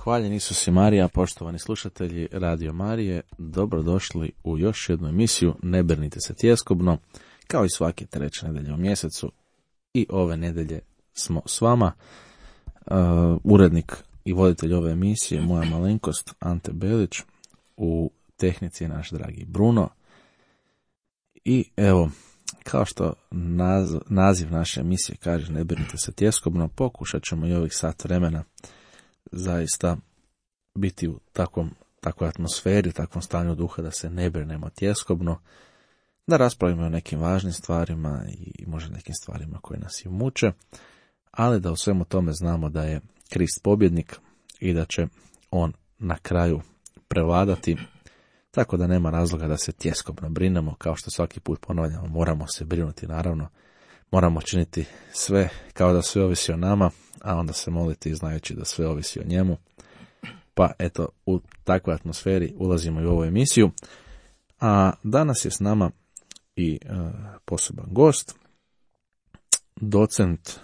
Hvaljen Isus i Marija, poštovani slušatelji Radio Marije, dobrodošli u još jednu emisiju Ne brinite se tjeskobno, kao i svake treće nedelje u mjesecu. I ove nedelje smo s vama. Urednik i voditelj ove emisije, moja malenkost Ante Belić, u tehnici je naš dragi Bruno. I evo, kao što naziv naše emisije kaže Ne brinite se tjeskobno, pokušat ćemo i ovih sat vremena zaista biti u takvoj atmosferi, takvom stanju duha da se ne brinemo tjeskobno, da raspravimo o nekim važnim stvarima i možda nekim stvarima koje nas i muče, ali da u svemu tome znamo da je Krist pobjednik i da će on na kraju prevladati, tako da nema razloga da se tjeskobno brinemo. Kao što svaki put ponavljamo, moramo se brinuti, naravno, moramo činiti sve kao da sve ovisi o nama, a onda se moliti znajući da sve ovisi o njemu. Pa eto, u takvoj atmosferi ulazimo i u ovu emisiju. A danas je s nama i poseban gost, docent,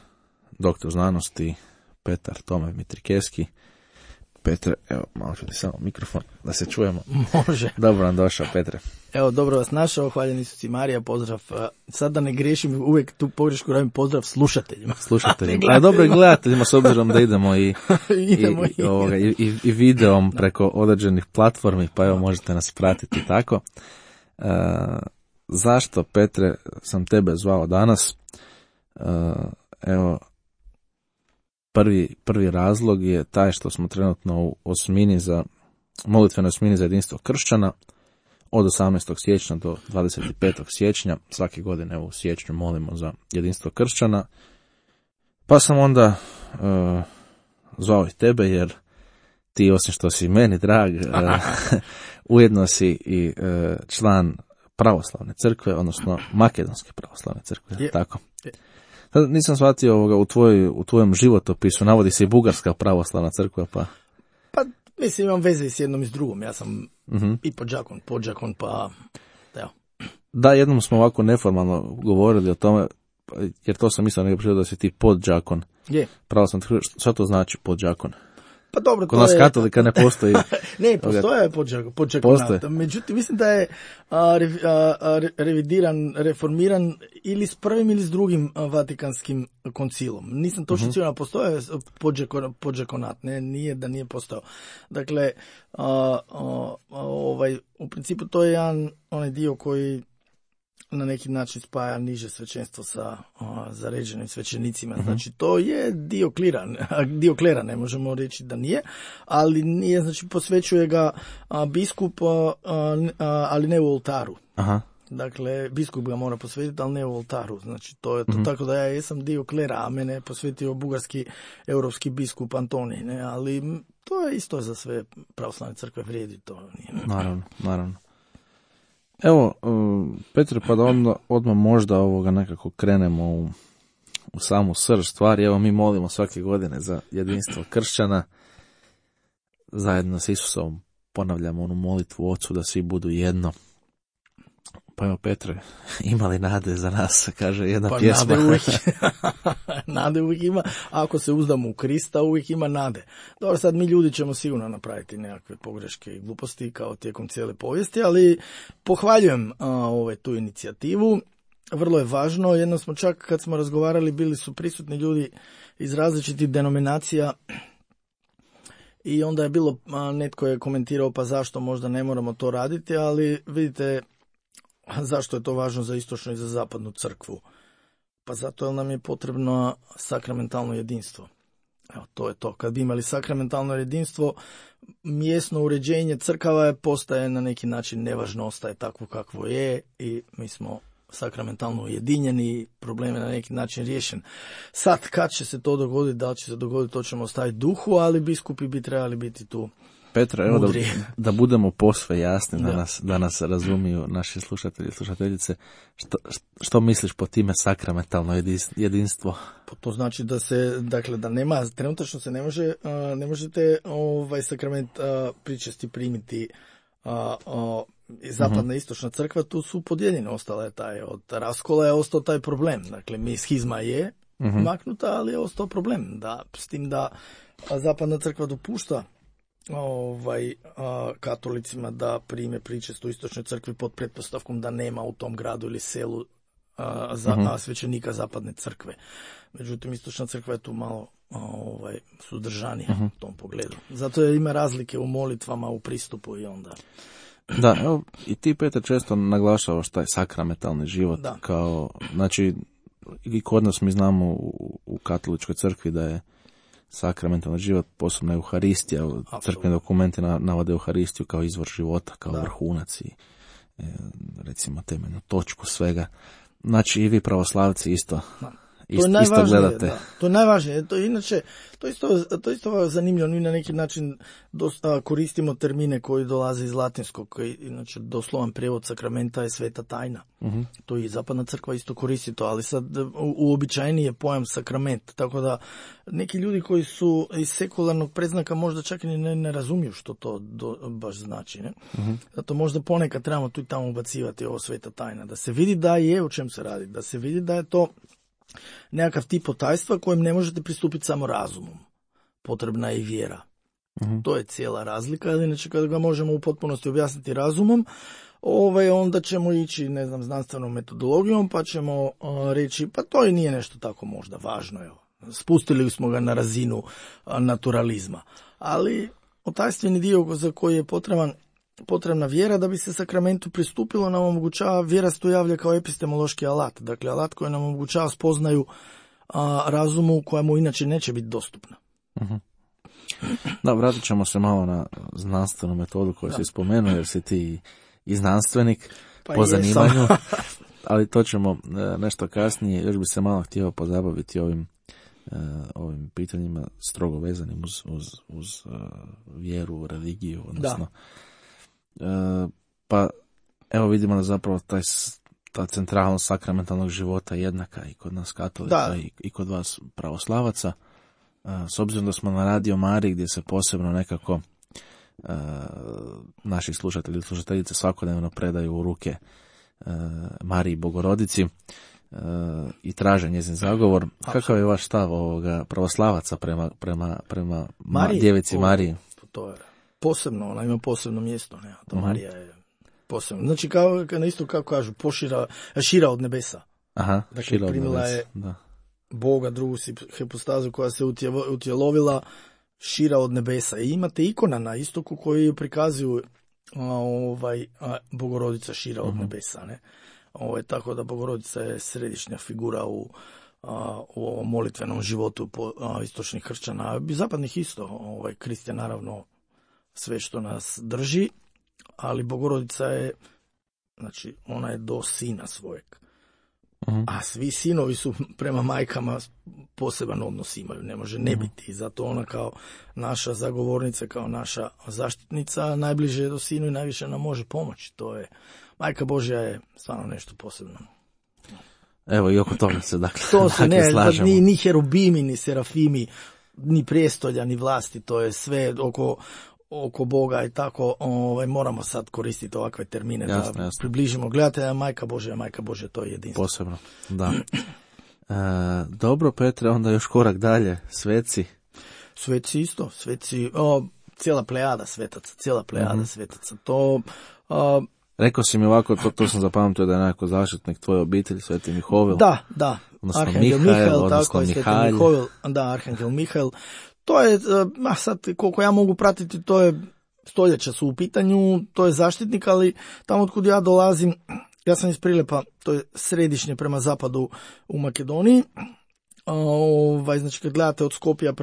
doktor znanosti Petar Tome Mitrikeski. Petre, evo, malo ću ti samo mikrofon da se čujemo. Može. Dobro nam došao, Petre. Evo, dobro vas našao, hvaljen Isus i Marija, pozdrav. Sad da ne griješim, uvijek tu pogrešku radim, pozdrav slušateljima. A dobro i gledateljima, s obzirom da idemo i videom preko određenih platformi, pa evo možete nas pratiti tako. Zašto, Petre, sam tebe zvao danas? Evo, Prvi razlog je taj što smo trenutno u molitvenoj osmini za jedinstvo kršćana od 18. siječnja do 25. siječnja. Svake godine u siječnju molimo za jedinstvo kršćana. Pa sam onda zvao i tebe jer ti, osim što si meni drag, ujedno si i član pravoslavne crkve, odnosno makedonske pravoslavne crkve. Tako. Sad nisam shvatio u tvojem životopisu, navodi se i bugarska pravoslavna crkva, pa... Pa, mislim, imam veze s jednom i s drugom, ja sam i podžakon, pa... Evo. Da, jednom smo ovako neformalno govorili o tome, jer to sam mislio nekako prišao da si ti podžakon. Je. Pravoslavna crkva, šta to znači podžakon? Pa dobro, kod nas katolika ne postoji. Ne, postoje podžakonat. Međutim, mislim da je reformiran ili s prvim ili s drugim Vatikanskim koncilom. Nisam točno siguran, postoje podžakonat, nije da nije postao. Dakle, u principu to je onaj dio koji na neki način spaja niže svećenstvo sa zaređenim svećenicima. Znači, to je dio klera, ne možemo reći da nije, ali nije, znači, posvećuje ga biskup, ali ne u oltaru. Aha. Dakle, biskup ga mora posvetiti, ali ne u oltaru. Znači, to je to. Tako da ja jesam dio klera, a mene je posvetio bugarski europski biskup Antonij, ne? Ali to je isto za sve pravoslavne crkve vrijedi. To nije. Naravno. Evo, Petre, pa da odmah možda nekako krenemo u samu srž stvari. Evo, mi molimo svake godine za jedinstvo kršćana. Zajedno s Isusom ponavljamo onu molitvu Ocu da svi budu jedno. Pa evo, Petre, ima li nade za nas, kaže jedna pjesma. Nade uvijek ima. Ako se uzdamo u Krista, uvijek ima nade. Dobro, sad mi ljudi ćemo sigurno napraviti nekakve pogreške i gluposti kao tijekom cijele povijesti, ali pohvaljujem tu inicijativu. Vrlo je važno. Jednom smo čak, kad smo razgovarali, bili su prisutni ljudi iz različitih denominacija i onda je bilo, netko je komentirao pa zašto možda ne moramo to raditi, ali vidite, zašto je to važno za istočnu i za zapadnu crkvu? Pa zato jer nam je potrebno sakramentalno jedinstvo. Evo, to je to. Kad bi imali sakramentalno jedinstvo, mjesno uređenje crkava postaje na neki način nevažno, ostaje takvo kakvo je i mi smo sakramentalno ujedinjeni, problem je na neki način riješen. Sad, kad će se to dogoditi, da li će se dogoditi, to ćemo ostaviti duhu, ali biskupi bi trebali biti tu. Petra, evo da budemo posve jasni, da nas razumiju naši slušatelji i slušateljice, što misliš po time sakramentalno jedinstvo? To znači da se, dakle, da nema, trenutačno se ne možete sakrament pričesti primiti zapadna i istočna crkva, tu su podijeljene, ostala je od raskola je ostao taj problem. Dakle, schizma je maknuta, ali je ostao problem, s tim da zapadna crkva dopušta katolicima da prime pričest u istočnoj crkvi pod pretpostavkom da nema u tom gradu ili selu svećenika zapadne crkve. Međutim, istočna crkva je tu malo suzdržanija u tom pogledu. Zato ima razlike u molitvama, u pristupu i onda... Da, evo, i ti, Petar, često naglašavaš taj sakramentalni život. Da. Kao, znači, i kod nas mi znamo u katoličkoj crkvi da je sakramentalni život, posebno Euharistija, crkveni dokumenti navode Euharistiju kao izvor života, kao vrhunac i recimo temeljnu točku svega. Znači i vi pravoslavci isto gledate. Da. To je najvažnije. To isto zanimljivo. Mi na neki način koristimo termine koji dolaze iz latinskog, koji inače doslovan prijevod sakramenta je sveta tajna. To i zapadna crkva isto koristi to, ali sad uobičajeni je pojam sakrament. Tako da neki ljudi koji su iz sekularnog predznaka možda čak i ne razumiju što to baš znači. Ne? Zato možda ponekad trebamo tu i tamo ubacivati ovo sveta tajna. Da se vidi da je o čem se radi. Da se vidi da je to nekakav tip tajstva kojem ne možete pristupiti samo razumom. Potrebna je i vjera. To je cijela razlika. Inače, kada ga možemo u potpunosti objasniti razumom, onda ćemo ići, znanstvenom metodologijom, pa ćemo reći, pa to i nije nešto tako možda važno. Evo. Spustili smo ga na razinu naturalizma. Ali otajstveni dio za koji je potrebna vjera da bi se sakramentu pristupilo nam omogućava, vjera se tu javlja kao epistemološki alat, dakle alat koji nam omogućava spoznaju razumu koja mu inače neće biti dostupna. Da, vratit ćemo se malo na znanstvenu metodu koju si spomenuo, jer si ti i znanstvenik po zanimanju, ali to ćemo nešto kasnije. Još bi se malo htio pozabaviti ovim pitanjima strogo vezanim uz vjeru, religiju, odnosno pa evo vidimo da zapravo ta centralnost sakramentalnog života jednaka i kod nas katolika i kod vas pravoslavaca. S obzirom da smo na Radio Mariji gdje se posebno nekako naši slušatelji i slušateljice svakodnevno predaju u ruke Mariji Bogorodici i traže njezin zagovor. Kakav je vaš stav ovoga pravoslavaca prema djevici Mariji? To je posebno, ona ima posebno mjesto, ne? To Marija je posebno. Znači, kao kažu, šira od nebesa. Dakle, šira od nebesa, je Boga, drugu hipostazu koja se utjelovila šira od nebesa. I imate ikona na istoku koji prikazuju Bogorodica šira od nebesa, ne? Tako da Bogorodica je središnja figura u ovom molitvenom životu istočnih kršćana, zapadnih isto. Krist je naravno sve što nas drži, ali Bogorodica je, znači, ona je do sina svojeg. A svi sinovi su prema majkama poseban odnos imaju, ne može ne biti. I zato ona kao naša zagovornica, kao naša zaštitnica, najbliže je do sinu i najviše nam može pomoći. To je, Majka Božja je stvarno nešto posebno. Evo i oko toga se slažemo. Ni herubimi, ni serafimi, ni prijestolja, ni vlasti, to je sve oko Boga i tako, moramo sad koristiti ovakve termine jasno. Približimo gledatelja, Majka Božja, to je jedinstvo. Posebno, da. Dobro, Petre, onda još korak dalje, sveci. Sveci isto, cijela plejada svetaca, to... Rekao si mi ovako, to sam zapamtio da je nekako zaštitnik tvoje obitelji, Sveti Mihovil. Da. Odnosno Arhangel Mihael, tako je, Sveti Mihovil, Arhangel Mihael. To je, sad koliko ja mogu pratiti, to je stoljeća su u pitanju, to je zaštitnik, ali tamo otkud ja dolazim, ja sam iz Prilepa, to je središnje prema zapadu u Makedoniji. Znači kad gledate od Skopja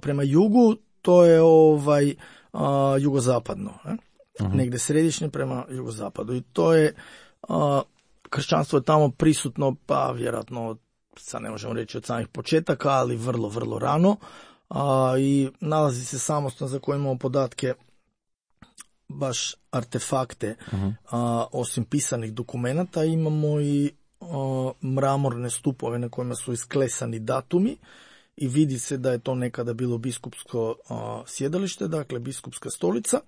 prema jugu, to je jugozapadno. Negdje središnje prema jugozapadu. I to je, kršćanstvo je tamo prisutno, pa vjerojatno, sad ne možemo reći od samih početaka, ali vrlo, vrlo rano. I nalazi se samostan za koje imamo podatke, baš artefakte, osim pisanih dokumenata, imamo i mramorne stupove na kojima su isklesani datumi i vidi se da je to nekada bilo biskupsko sjedalište, dakle biskupska stolica.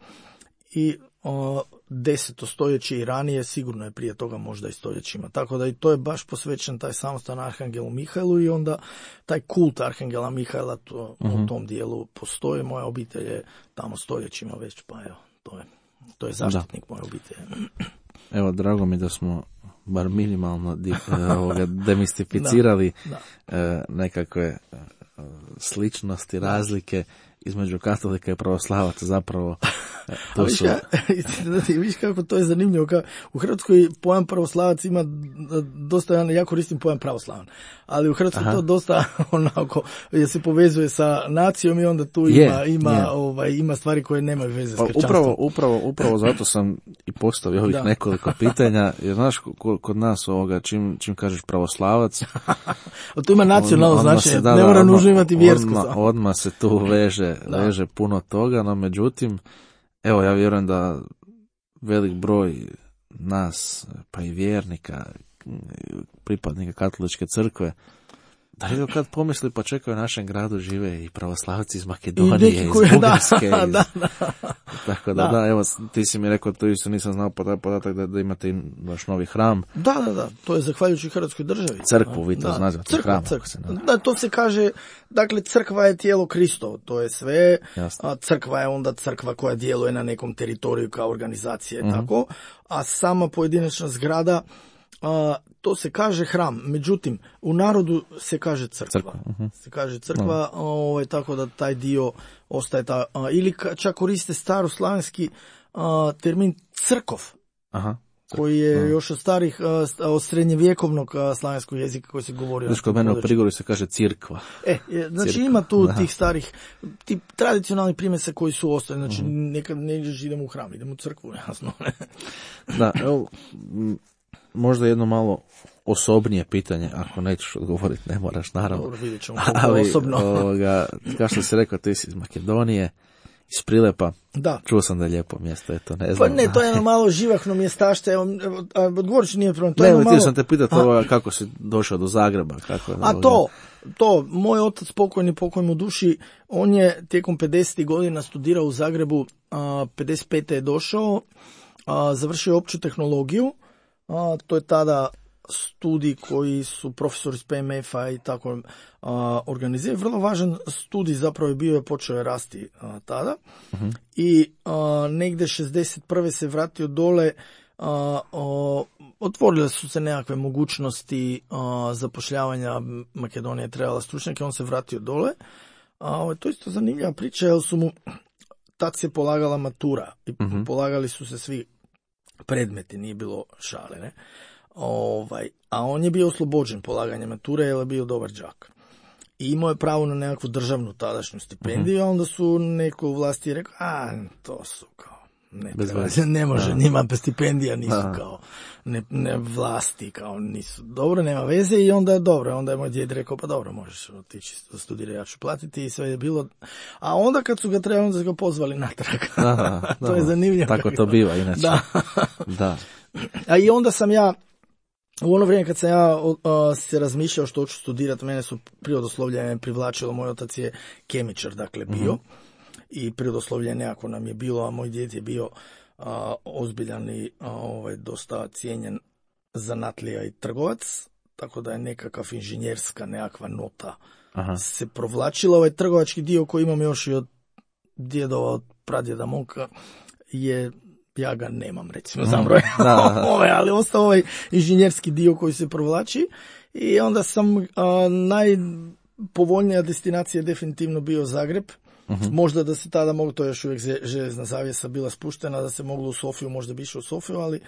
I 10. stoljeće i ranije, sigurno je prije toga možda i stoljećima. Tako da i to je baš posvećen taj samostan Arhangelu Mihajlu i onda taj kult Arhangela Mihajla u tom dijelu postoji. Moja obitelj je tamo stoljećima već, pa evo, to je zaštitnik moje obitelji. Evo, drago mi da smo bar minimalno demistificirali nekakve sličnosti, razlike između katolika i pravoslavaca, zapravo to su... Viš kako to je zanimljivo, u Hrvatskoj pojam pravoslavac ima dosta, ja koristim pojam pravoslavan, ali u Hrvatskoj to dosta onako, jer se povezuje sa nacijom i onda tu ima stvari koje nemaju veze s kršćanstvom. Upravo zato sam i postavio ovih nekoliko pitanja, jer znaš, kod nas čim kažeš pravoslavac... to ima nacionalno značenje, ne mora nužno imati vjersko. Odmah se tu veže puno toga, no međutim, evo, ja vjerujem da velik broj nas, pa i vjernika, pripadnika katoličke crkve, da li kad pomisli, pa čekaju u našem gradu žive i pravoslavci iz Makedonije, iz Bugarske. Tako da, evo, ti si mi rekao, to isto nisam znao podatak da imate i vaš novi hram. Da, to je zahvaljujući Hrvatskoj državi. Crkvu, vi to nazvate hram. Da, to se kaže, dakle, crkva je tijelo Kristovo, to je sve, a crkva je onda crkva koja djeluje na nekom teritoriju kao organizacija i tako, a sama pojedinačna zgrada, to se kaže hram, međutim u narodu se kaže crkva. Se kaže crkva, tako da taj dio ostaje ili čak koriste staroslavenski termin crkov. Koji je još od srednjevjekovnog slavenskog jezika koji se govori. Znači, kod mene u Prigorju se kaže cirkva. Znači ima tu tih starih, ti tradicionalnih primjesa koji su ostali. Znači nekad ne idemo u hram, idemo u crkvu, jasno. Da, evo, možda jedno malo osobnije pitanje, ako nećeš odgovoriti, ne moraš, naravno. Dobro, vidjet ćemo osobno. Kao što si rekao, ti si iz Makedonije, iz Prilepa. Da. Čuo sam da je lijepo mjesto, eto, ne znam. Pa ne, to je jedno malo živahno mjestašte, odgovorit ću, nije problem. Htio sam te pitati kako si došao do Zagreba. Moj otac pokojni mu duši, on je tijekom 50. godina studirao u Zagrebu, 55. je došao, završio opću tehnologiju, to je tada studij koji su profesori iz PMF-a i tako organizirali. Vrlo važan studij zapravo je bio, počeo je rasti tada. I negdje 61. se vratio dole, otvorile su se nekakve mogućnosti zapošljavanja, Makedonija je trebala stručnjake, on se vratio dole. To je isto zanimljiva priča, jer su mu, tad se polagala matura i polagali su se svi predmeti, nije bilo šale, ne? A on je bio oslobođen polaganja mature jer je bio dobar đak. I imao je pravo na nekakvu državnu tadašnju stipendiju, a onda su neko u vlasti rekao, to su kao, ne može, njima stipendija nisu kao, ne vlasti kao nisu, dobro, nema veze i onda je moj djed rekao, pa dobro, možeš otići studirati, ja ću platiti i sve je bilo, a onda kad su ga trebali, onda su ga pozvali natrag. To je zanimljivo. Tako to biva, inače. Da. A i onda sam ja, u ono vrijeme kad sam ja se razmišljao što ću studirati, mene su prirodoslovlje privlačilo, moj otac je kemičar, dakle, bio, i prirodoslovlje nekako nam je bilo, a moj djed je bio ozbiljan i dosta cijenjen zanatlija i trgovac, tako da je nekakav inženjerska nekakva nota se provlačila. Ovaj trgovački dio koji imam još i od djedova, od pradjeda moga, ja ga nemam, recimo, zabroj, ali ostao ovaj inženjerski dio koji se provlači i onda sam najpovoljnija destinacija definitivno bio Zagreb. Možda da se tada moglo, to još uvijek željezna zavjesa bila spuštena, da se moglo u Sofiju, možda bi išao u Sofiju, ali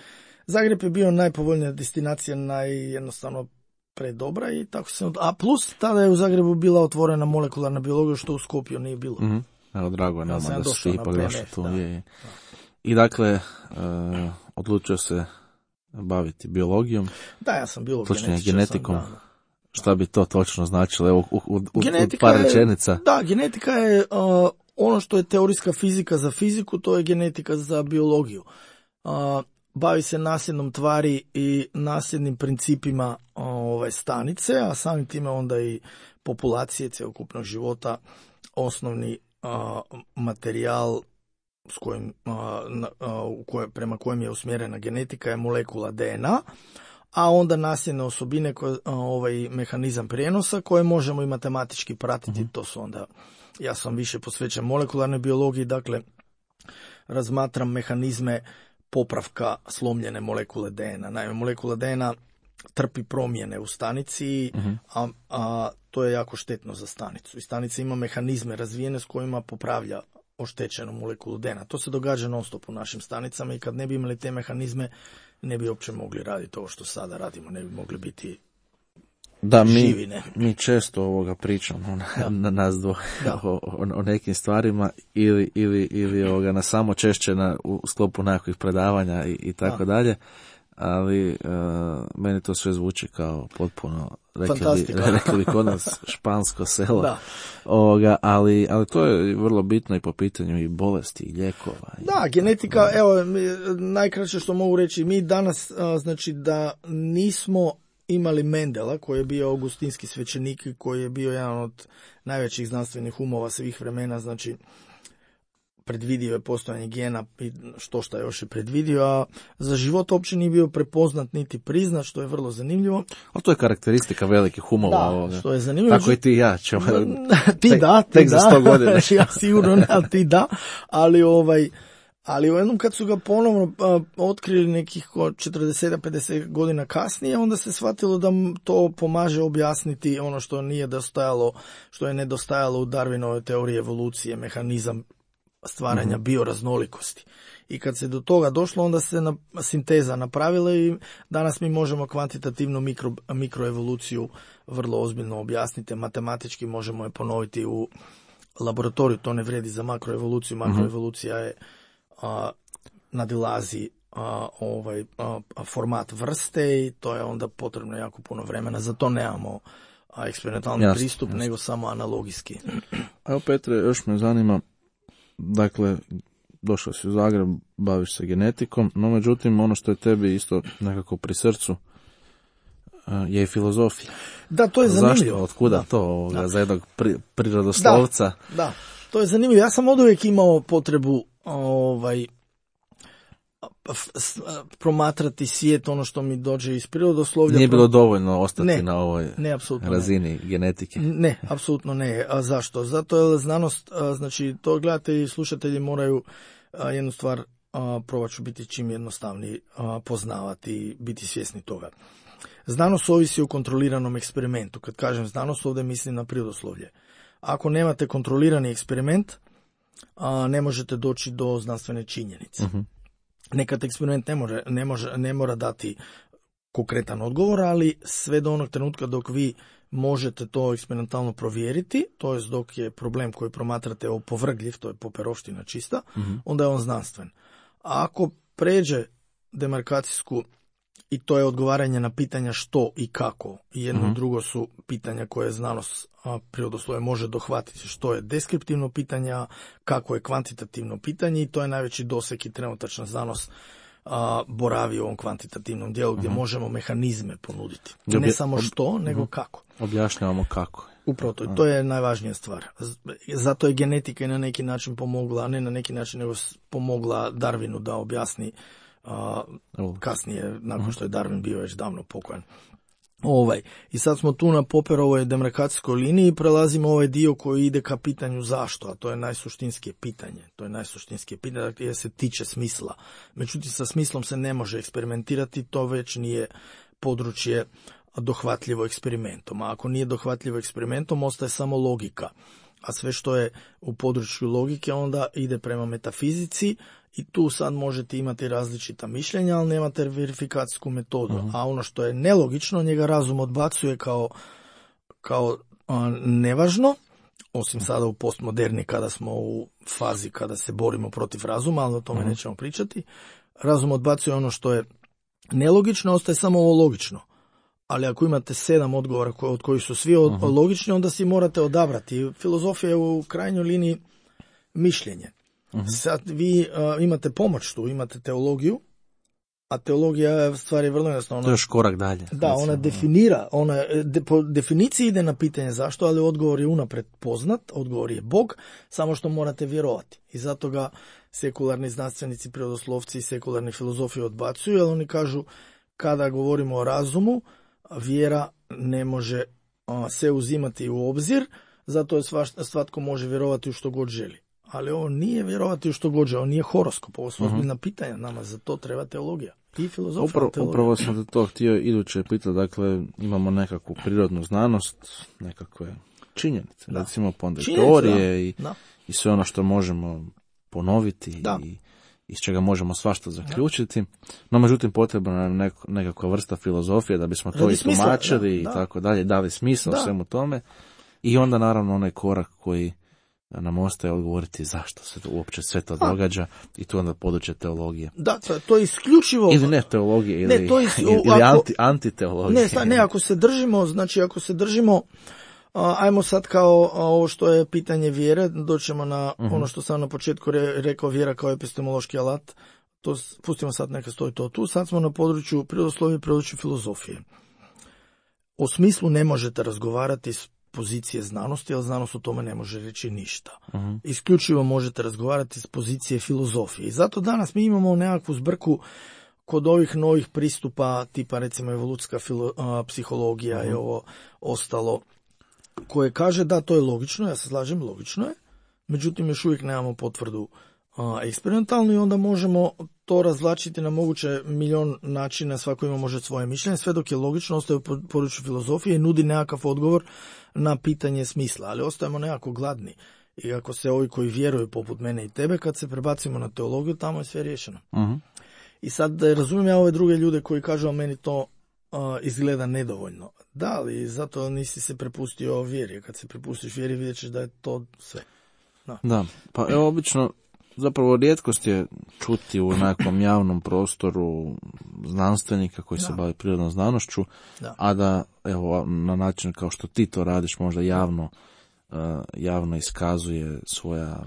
Zagreb je bio najpovoljnija destinacija, najjednostavno predobra i tako se... A plus, tada je u Zagrebu bila otvorena molekularna biologija, što u Skopju nije bilo. Evo, drago je nama da si ipak došao tu. I dakle, odlučio se baviti biologijom. Da, ja sam biolog. Točnije genetikom. Šta bi to točno značilo? Evo, u par rečenica. Da, genetika je ono što je teorijska fizika za fiziku, to je genetika za biologiju. Bavi se nasljednom tvari i nasljednim principima stanice, a samim time onda i populacije cjelokupnog života, osnovni materijal prema kojem je usmjerena genetika je molekula DNA, a onda nasljedne osobine, ovaj mehanizam prijenosa koje možemo i matematički pratiti, to su onda, ja sam više posvećen molekularnoj biologiji, dakle razmatram mehanizme popravka slomljene molekule DNA. Naime, molekula DNA trpi promjene u stanici, a to je jako štetno za stanicu. I stanica ima mehanizme razvijene s kojima popravlja oštećenu molekulu DNA. To se događa non stop u našim stanicama i kad ne bi imali te mehanizme, ne bi uopće mogli raditi ovo što sada radimo, ne bi mogli biti živi. Mi često pričamo na nas dvoje o nekim stvarima ili na samo češće u sklopu nekakvih predavanja i tako dalje. Ali meni to sve zvuči kao potpuno rekli bi kod nas špansko selo. Ali to je vrlo bitno i po pitanju i bolesti i lijekova. Da, genetika, evo, najkraće što mogu reći, mi danas, znači da nismo imali Mendela, koji je bio augustinski svećenik, koji je bio jedan od najvećih znanstvenih umova svih vremena, znači predvidio je postojanje gena i što još je predvidio, a za život uopće nije bio prepoznat niti priznat, što je vrlo zanimljivo. Ali to je karakteristika velikih umova. Da, što je zanimljivo. Tako i ti i ja ćemo. Tek za 100 godina. Ja sigurno ne, ali ti da. Ali u jednom kad su ga ponovno otkrili nekih 40-50 godina kasnije, onda se shvatilo da to pomaže objasniti ono što je nedostajalo u Darwinovoj teoriji evolucije, mehanizam stvaranja bioraznolikosti. I kad se do toga došlo, onda se sinteza napravila i danas mi možemo kvantitativnu mikroevoluciju vrlo ozbiljno objasniti. Matematički možemo je ponoviti u laboratoriju. To ne vrijedi za makroevoluciju. Makroevolucija je nadilazi format vrste i to je onda potrebno jako puno vremena. Za to nemamo eksperimentalni pristup, nego samo analogijski. Evo Petre, još me zanima, dakle, došao si u Zagreb, baviš se genetikom, no međutim ono što je tebi isto nekako pri srcu je i filozofija. Da, to je zanimljivo. Zašto? Otkuda to za jednog prirodoslovca? Da, to je zanimljivo. Ja sam oduvijek imao potrebu promatrati svijet, ono što mi dođe iz prirodoslovlja. Nije bilo dovoljno ostati na ovoj razini genetike. Ne, apsolutno ne. A zašto? Zato je znanost, znači to gledatelji i slušatelji moraju jednu stvar, probat ću biti čim jednostavniji, poznavati i biti svjesni toga. Znanost ovisi o kontroliranom eksperimentu. Kad kažem znanost, ovdje mislim na prirodoslovlje. Ako nemate kontrolirani eksperiment, ne možete doći do znanstvene činjenice. Nekad eksperiment ne mora dati konkretan odgovor, ali sve do onog trenutka dok vi možete to eksperimentalno provjeriti, to jest dok je problem koji promatrate opovrgljiv, to je poperovština čista, onda je on znanstven. A ako pređe demarkacijsku, i to je odgovaranje na pitanja što i kako, i jedno i drugo su pitanja koje znanost prirodoslovlje može dohvatiti, što je deskriptivno pitanje, kako je kvantitativno pitanje, i to je najveći doseg i trenutačna znanost boravi u ovom kvantitativnom dijelu gdje možemo mehanizme ponuditi. Ne samo što, nego kako. Objašnjavamo kako. Upravo to je najvažnija stvar. Zato je genetika i na neki način pomogla, ne na neki način, nego pomogla Darwinu da objasni kasnije, nakon što je Darwin bio već davno pokojan. I sad smo tu na Popperovoj demarkacijskoj liniji i prelazimo ovaj dio koji ide ka pitanju zašto, a to je najsuštinskije pitanje. To je najsuštinskije pitanje jer se tiče smisla. Međutim, sa smislom se ne može eksperimentirati, to već nije područje dohvatljivo eksperimentom. A ako nije dohvatljivo eksperimentom, ostaje samo logika. A sve što je u području logike onda ide prema metafizici i tu sad možete imati različita mišljenja, ali nemate verifikacijsku metodu. A ono što je nelogično, njega razum odbacuje kao nevažno, osim sada u postmoderni kada smo u fazi kada se borimo protiv razuma, ali o tome nećemo pričati. Razum odbacuje ono što je nelogično, ostaje samo ovo logično. Ali ako imate 7 odgovora od kojih su svi logični, onda si morate odabrati. Filozofija je u krajnjoj liniji mišljenje. Sad vi imate pomoć tu, imate teologiju, a teologija je stvari vrlo jednostavno. To je još korak dalje. Da, ona definira, po definiciji ide na pitanje zašto, ali odgovor je unaprijed poznat, odgovor je Bog, samo što morate vjerovati. I zato ga sekularni znanstvenici, prirodoslovci i sekularni filozofi odbacuju, jer oni kažu kada govorimo o razumu, vjera ne može se uzimati u obzir, zato je svatko može vjerovati u što god želi. Ali ovo nije vjerovati u što god želi, ovo nije horoskop, ovo su ozbiljna pitanja, nama za to treba teologija i filozofija. Upravo sam te to htio iduće pitati, dakle imamo nekakvu prirodnu znanost, nekakve činjenice, recimo pa onda teorije i sve ono što možemo ponoviti i iz čega možemo svašta zaključiti, no međutim potrebna je nekakva vrsta filozofije da bismo to istumačili i tako dalje, dali smisao svemu tome i onda naravno onaj korak koji nam ostaje odgovoriti zašto se to uopće sve to događa i tu onda područje teologije. Da, to je isključivo... Ili ne teologije, ili antiteologije. Ne, ako se držimo, ajmo sad kao ovo što je pitanje vjere, doćemo na ono što sam na početku rekao, vjera kao epistemološki alat, to pustimo sad neka stoji to tu, sad smo na području prirodoslovlja i području filozofije. O smislu ne možete razgovarati s pozicije znanosti, jer znanost o tome ne može reći ništa. Isključivo možete razgovarati s pozicije filozofije. I zato danas mi imamo nekakvu zbrku kod ovih novih pristupa, tipa recimo evolucijska psihologija i ovo ostalo, koje kaže da to je logično, ja se slažem, logično je, međutim još uvijek nemamo potvrdu eksperimentalno i onda možemo to razvlačiti na moguće milion načina, svako ima može svoje mišljenje, sve dok je logično, ostaje u području filozofije i nudi nekakav odgovor na pitanje smisla, ali ostajemo nekako gladni. I ako se ovi koji vjeruju poput mene i tebe, kad se prebacimo na teologiju, tamo je sve riješeno. I sad razumijem ja ove druge ljude koji kažu, a meni to izgleda nedovoljno. Da, ali zato nisi se prepustio vjeri. Kad se prepustiš vjeri, vidjet ćeš da je to sve. Da, pa evo obično zapravo rijetkost je čuti u nekom javnom prostoru znanstvenika koji se bavi prirodnom znanošću, a da evo na način kao što ti to radiš možda javno iskazuje svoja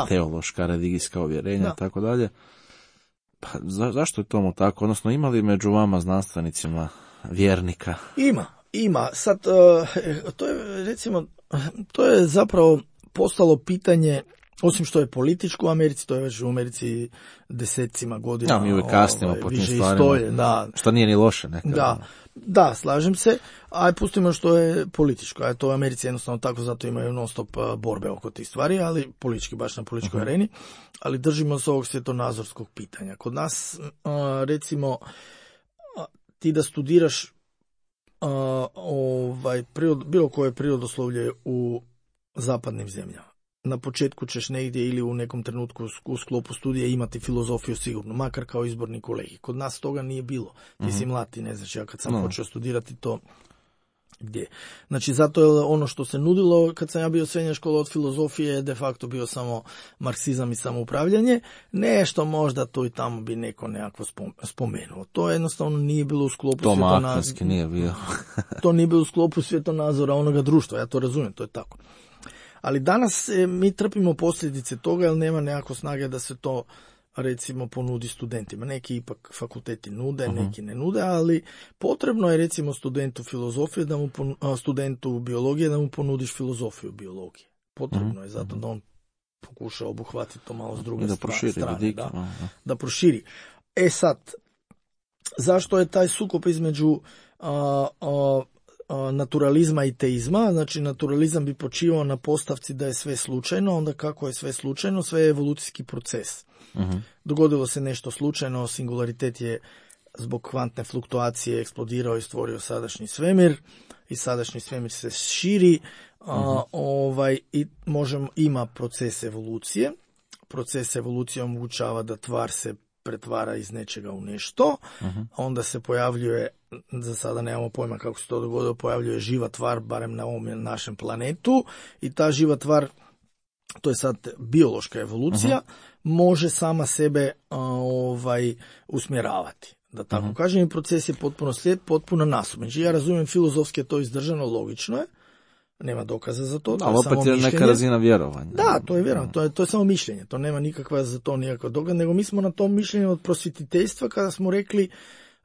teološka, religijska uvjerenja i tako dalje. Pa zašto je tomu tako? Odnosno ima li među vama znanstvenicima vjernika? Ima. Sad, to je recimo, to je zapravo postalo pitanje, osim što je političko u Americi, to je već u Americi desecima godina. Da, mi uvijek kasnimo po tim stvarima, što nije ni loše nekada. Da, slažem se, a pustimo što je političko, a to u Americi jednostavno tako, zato imaju non stop borbe oko tih stvari, ali politički, baš na političkoj areni, ali držimo se ovog svjetonazorskog pitanja. Kod nas, recimo, ti da studiraš bilo koje prirodoslovlje u zapadnim zemljama, na početku ćeš negdje ili u nekom trenutku u sklopu studija imati filozofiju sigurno, makar kao izborni kolegij. Kod nas toga nije bilo. Ti si mlad, ti ne znaš, ja kad sam počeo studirati to gdje. Znači, zato je ono što se nudilo kad sam ja bio srednja škola od filozofije de facto bio samo marksizam i samoupravljanje. Nešto možda to i tamo bi neko nekako spomenuo. To jednostavno nije bilo u sklopu svjetonazora. Nije bio. To nije bilo u sklopu svjetonazora onoga društva, ja to razumijem, to je tako. Ali danas mi trpimo posljedice toga jer nema nekako snage da se to recimo ponudi studentima. Neki ipak fakulteti nude, neki ne nude, ali potrebno je recimo studentu filozofije, studentu biologije da mu ponudiš filozofiju biologije. Potrebno je zato da on pokuša obuhvatiti to malo s druge strane. Da proširi. Sad, zašto je taj sukob između naturalizma i teizma? Znači, naturalizam bi počivao na postavci da je sve slučajno, onda kako je sve slučajno? Sve je evolucijski proces. Dogodilo se nešto slučajno, singularitet je zbog kvantne fluktuacije eksplodirao i stvorio sadašnji svemir i sadašnji svemir se širi i ima proces evolucije. Proces evolucije omogućava da tvar se pretvara iz nečega u nešto, onda se pojavljuje, za sada nemamo pojma kako se to dogodilo, pojavljuje živa tvar, barem na ovom našem planetu, i ta živa tvar, to je sad biološka evolucija, može sama sebe usmjeravati. Da tako kažem, i proces je potpuno slijed, potpuno nasumičan. Znači, ja razumijem filozofski je to izdržano, logično je, nema dokaza za to. Ali opet je neka razina vjerovanja. Da, to je vjerovanje, to je samo mišljenje, to nema nikakva za to nikakva dokaz, nego mi smo na tom mišljenju od prosvjetiteljstva kada smo rekli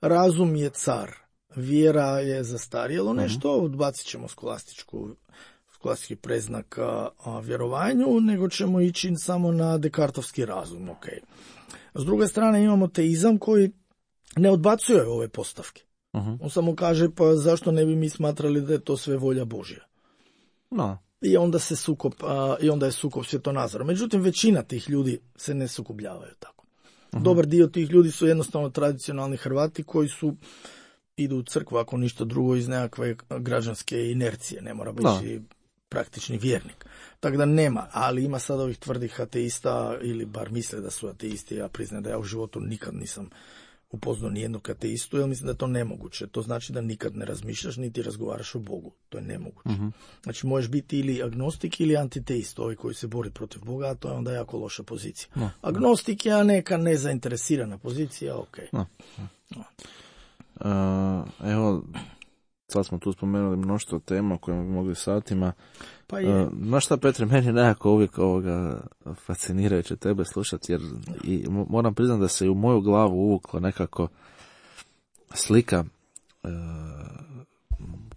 razum je car, vjera je zastarjelo nešto, odbacit ćemo klasičnih preznaka vjerovanju, nego ćemo ići samo na dekartovski razum. Okay. S druge strane imamo teizam koji ne odbacuje ove postavke. On samo kaže, pa zašto ne bi mi smatrali da je to sve volja Božja? No. I onda je sukob svjetonazora. Međutim, većina tih ljudi se ne sukobljavaju tako. Dobar dio tih ljudi su jednostavno tradicionalni Hrvati koji idu u crkvu, ako ništa drugo, iz nekakve građanske inercije. Ne mora biti praktični vjernik. Tako da nema, ali ima sad ovih tvrdih ateista, ili bar misle da su ateisti. Ja priznam da ja u životu nikad nisam upoznao nijednog ateistu, jer mislim da je to nemoguće. To znači da nikad ne razmišljaš niti razgovaraš o Bogu. To je nemoguće. Znači možeš biti ili agnostik ili antiteist, ovaj koji se bori protiv Boga, a to je onda jako loša pozicija. Agnostik je neka nezainteresirana pozicija, ok. Evo, sad smo tu spomenuli mnoštvo tema koje bi mogli satima. Pa je. Znaš šta, Petre, meni nekako uvijek fascinirajuće tebe slušati, jer moram priznati da se i u moju glavu uvukla nekako slika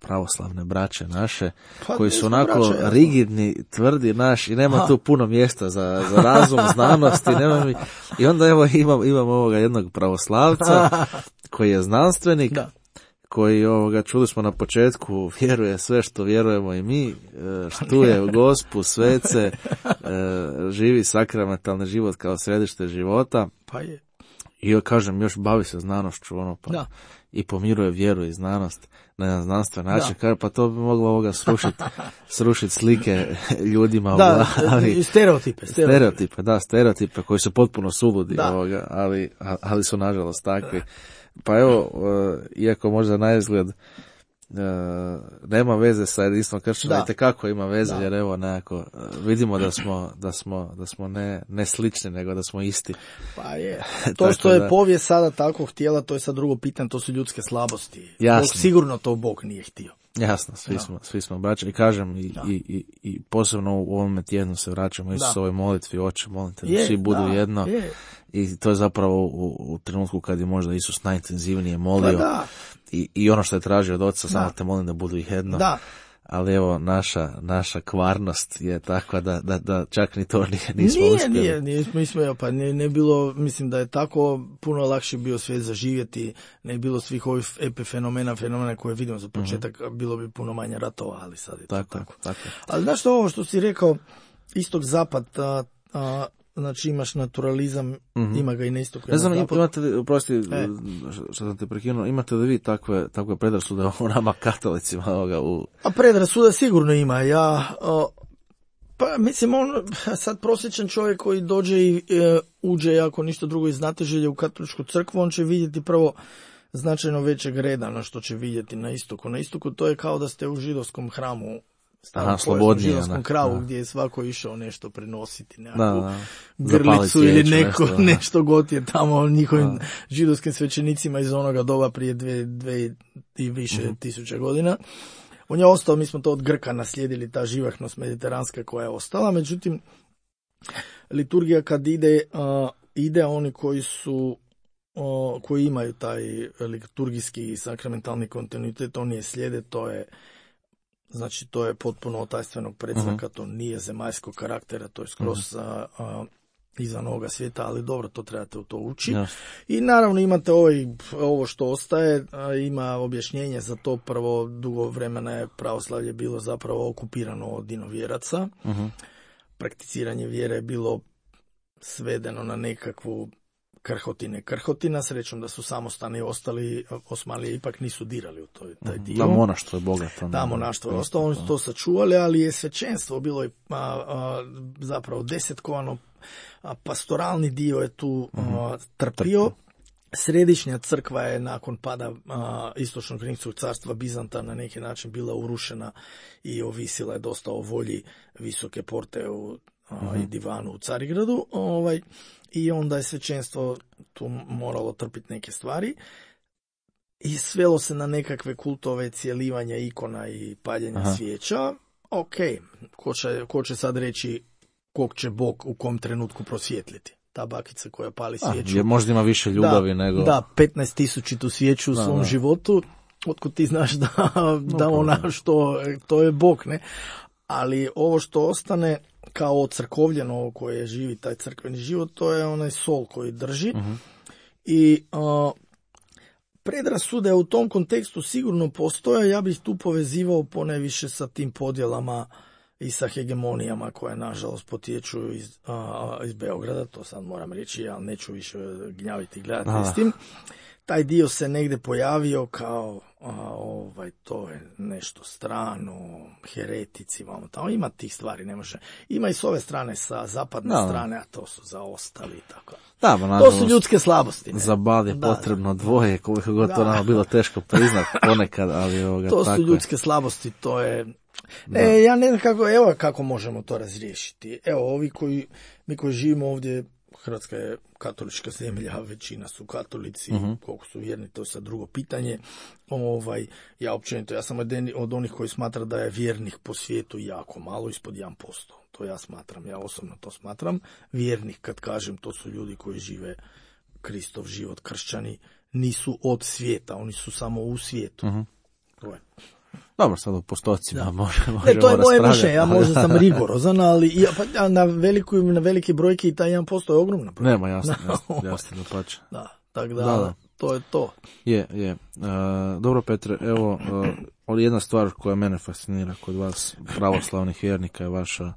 pravoslavne braće naše, koji su onako rigidni, tvrdi i nema tu puno mjesta za razum, znanost i onda evo imam ovoga jednog pravoslavca koji je znanstvenik, koji, čuli smo na početku, vjeruje sve što vjerujemo i mi, štuje Gospu, svece, živi sakramentalni život kao središte života. Pa je. I kažem, još bavi se znanošću, i pomiruje vjeru i znanost na jedan znanstven način. Kaže, pa to bi moglo srušiti slike ljudima u glavi. Stereotipe koji su potpuno suludi, ali su nažalost takvi. Pa evo, iako možda na izgled nema veze sa jedinstvom kršćana, itekako ima veze, jer evo nekako vidimo da smo ne slični, nego da smo isti. Pa je. To što je povijest sada tako htjela, to je sad drugo pitanje, to su ljudske slabosti. Jasno. Sigurno to Bog nije htio. Jasno, svi smo braća i kažem i posebno u ovome tjednu se vraćamo Isusovoj molitvi, Oče, molim te da svi budu jedno. I to je zapravo u trenutku kad je možda Isus najintenzivnije molio i ono što je tražio od Oca, samo te molim da budu jedno. Ali evo, naša kvarnost je takva da čak ni to nismo uspjeli. Ne bilo, mislim da je tako puno lakše bio svijet zaživjeti, ne bilo svih ovih epifenomena koje vidimo za početak, bilo bi puno manje ratova, ali sad je tako. Ali znaš što, ovo što si rekao, istok zapad, znači imaš naturalizam, ima ga i na istoku. Ne znam, imate li, oprosti, što sam te prekinuo, imate li vi takve predrasude o nama katolicima? A predrasuda sigurno ima. Pa mislim, sad prosječan čovjek koji dođe i uđe, ako ništa drugo iz znatiželje u katoličku crkvu, on će vidjeti prvo značajno većeg reda na što će vidjeti na istoku. Na istoku to je kao da ste u židovskom hramu, slobodnije, židovskom kravu, gdje je svako išao nešto prenositi, nekakvu grlicu ili nešto god je tamo njihovim židovskim svećenicima iz onoga doba prije dve i više tisuća godina. On je ostao, mi smo to od Grka naslijedili, ta živahnost mediteranska koja je ostala, međutim, liturgija kad ide oni koji imaju taj liturgijski i sakramentalni kontinuitet, oni je slijede, to je potpuno otajstvenog predznaka, to nije zemaljskog karaktera, to je skroz izvan ovoga svijeta, ali dobro, to trebate u to ući. I naravno imate ovo što ostaje, ima objašnjenje za to. Prvo, dugo vremena je pravoslavlje bilo zapravo okupirano od inovjeraca. Prakticiranje vjere je bilo svedeno na nekakvu krhotina, srećom da su samostani ostali, Osmanlije ipak nisu dirali u taj dio. Da, monaštvo je bogato. Da, monaštvo je ostalo, oni su to sačuvali, ali je svećenstvo bilo zapravo desetkovano, pastoralni dio je tu trpio. Središnja crkva je nakon pada istočnog rimskog carstva Bizanta na neki način bila urušena i ovisila je dosta o volji Visoke porte i divanu u Carigradu, i onda je svećenstvo tu moralo trpiti neke stvari i svelo se na nekakve kultove cijelivanja ikona i paljenja svijeća. Ok, ko će sad reći kog će Bog u kom trenutku prosvjetliti? Ta bakica koja pali svijeću. Jer možda ima više ljubavi nego... Da, 15.000 svijeću u svom životu, otkud ti znaš da ona to je Bog, ne? ali ovo što ostane kao ocrkovljeno, ovo koje živi taj crkveni život, to je onaj sol koji drži. I predrasude u tom kontekstu sigurno postoje, ja bih tu povezivao ponajviše sa tim podjelama i sa hegemonijama koje nažalost potječu iz Beograda, to sad moram reći, ja neću više gnjaviti i gledati s tim. Taj dio se negdje pojavio kao to je nešto strano, heretici, tamo ima tih stvari, ne može. Ima i s ove strane, sa zapadne strane, a to su zaostali i tako. To su ljudske slabosti. Za bal je potrebno dvoje, koliko god to nama bilo teško priznat ponekad, ali to su ljudske slabosti, to je... ja ne znam kako možemo to razriješiti. Evo, mi koji živimo ovdje, Hrvatska je katolička zemlja, većina su katolici, koliko su vjerni, to je sad drugo pitanje. Ja sam od onih koji smatra da je vjernih po svijetu jako malo, ispod 1%. To ja smatram, ja osobno to smatram. Vjernih, kad kažem, to su ljudi koji žive Kristov život, kršćani, nisu od svijeta, oni su samo u svijetu. To je. Dobro, sad u postocima možemo to je moje mišljenje, ja možda sam rigorozan, ali na velike brojke i taj 1% je ogromna brojka. Nema, jasno da pače. Tako da, to je to. Je. Dobro, Petre, evo, jedna stvar koja mene fascinira kod vas, pravoslavnih vjernika, je vaša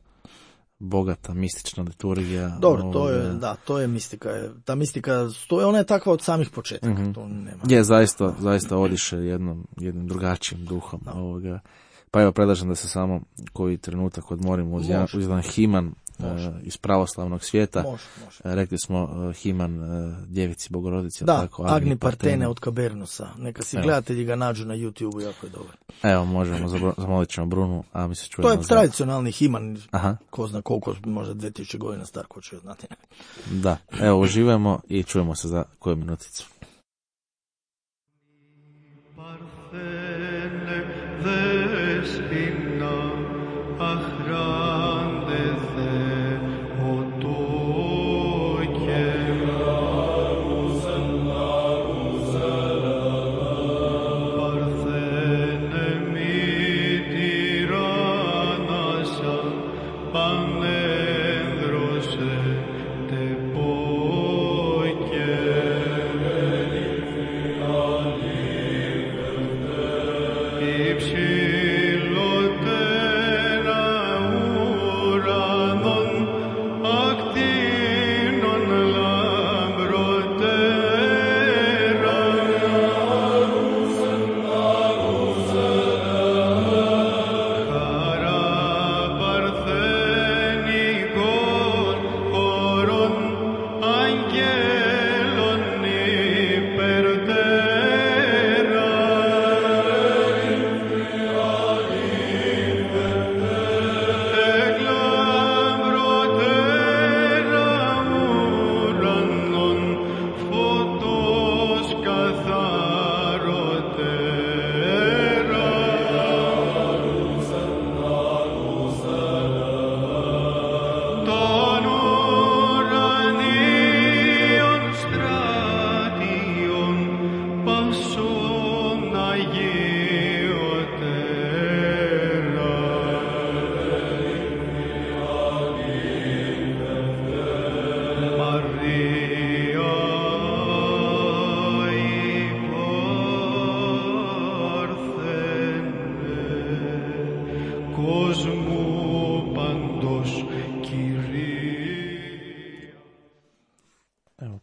bogata mistična liturgija. Dobro, to je mistika. Ta mistika, ona je takva od samih početaka. To nema. Je, zaista odiše jednim drugačijim duhom ovoga. Pa evo, predlažem da se samo koji trenutak odmorimo uz jedan himan iz pravoslavnog svijeta. Može. Rekli smo himan Djevici Bogorodici. Da, Agni Partene od Kabernusa. Neka si gledatelji ga nađu na YouTube-u, jako je dobar. Evo, možemo, zamolit ćemo Brunu, a mi se čujemo. To je tradicionalni himan, ko zna koliko, možda 2000 godina star, ko će znati. Da, evo, uživamo i čujemo se za koju minuticu.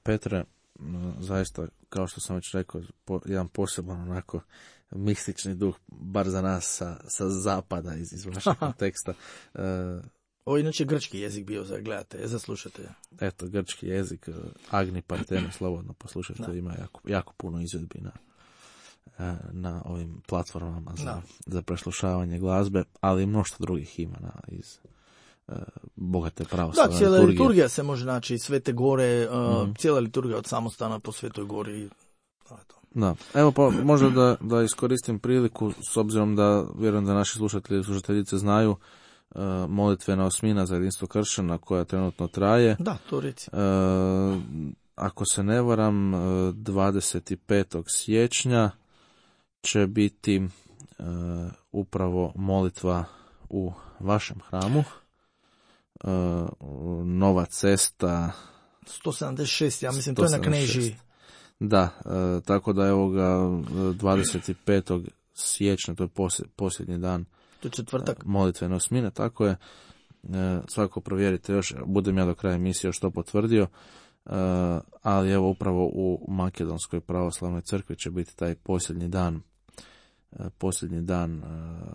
Petre, zaista, kao što sam već rekao, jedan poseban onako mistični duh, bar za nas sa zapada iz vašeg konteksta. Ovo je inače grčki jezik bio za gledate, za slušatelja. Eto, grčki jezik, Agni Partene, slobodno poslušajte, ima jako puno izvedbi na ovim platformama za preslušavanje glazbe, ali i mnoštvo drugih imena iz bogate pravoslavne liturgije. Cijela liturgija se može naći, Svete gore, cijela liturgija od samostana po Svetoj gori. Da, evo pa možda da iskoristim priliku, s obzirom da vjerujem da naši slušatelji i slušateljice znaju molitvena osmina za jedinstvo kršćana koja trenutno traje. Da, to reci. Ako se ne varam, 25. siječnja će biti upravo molitva u vašem hramu. Nova cesta 176, ja mislim, to je na Knežiji. Da, tako da evo ga 25. siječnja, to je posljednji dan. To je četvrtak. Molitvene osmine, tako je. Svako provjerite još, budem ja do kraja emisije još to potvrdio. Ali evo upravo u Makedonskoj pravoslavnoj crkvi će biti taj posljednji dan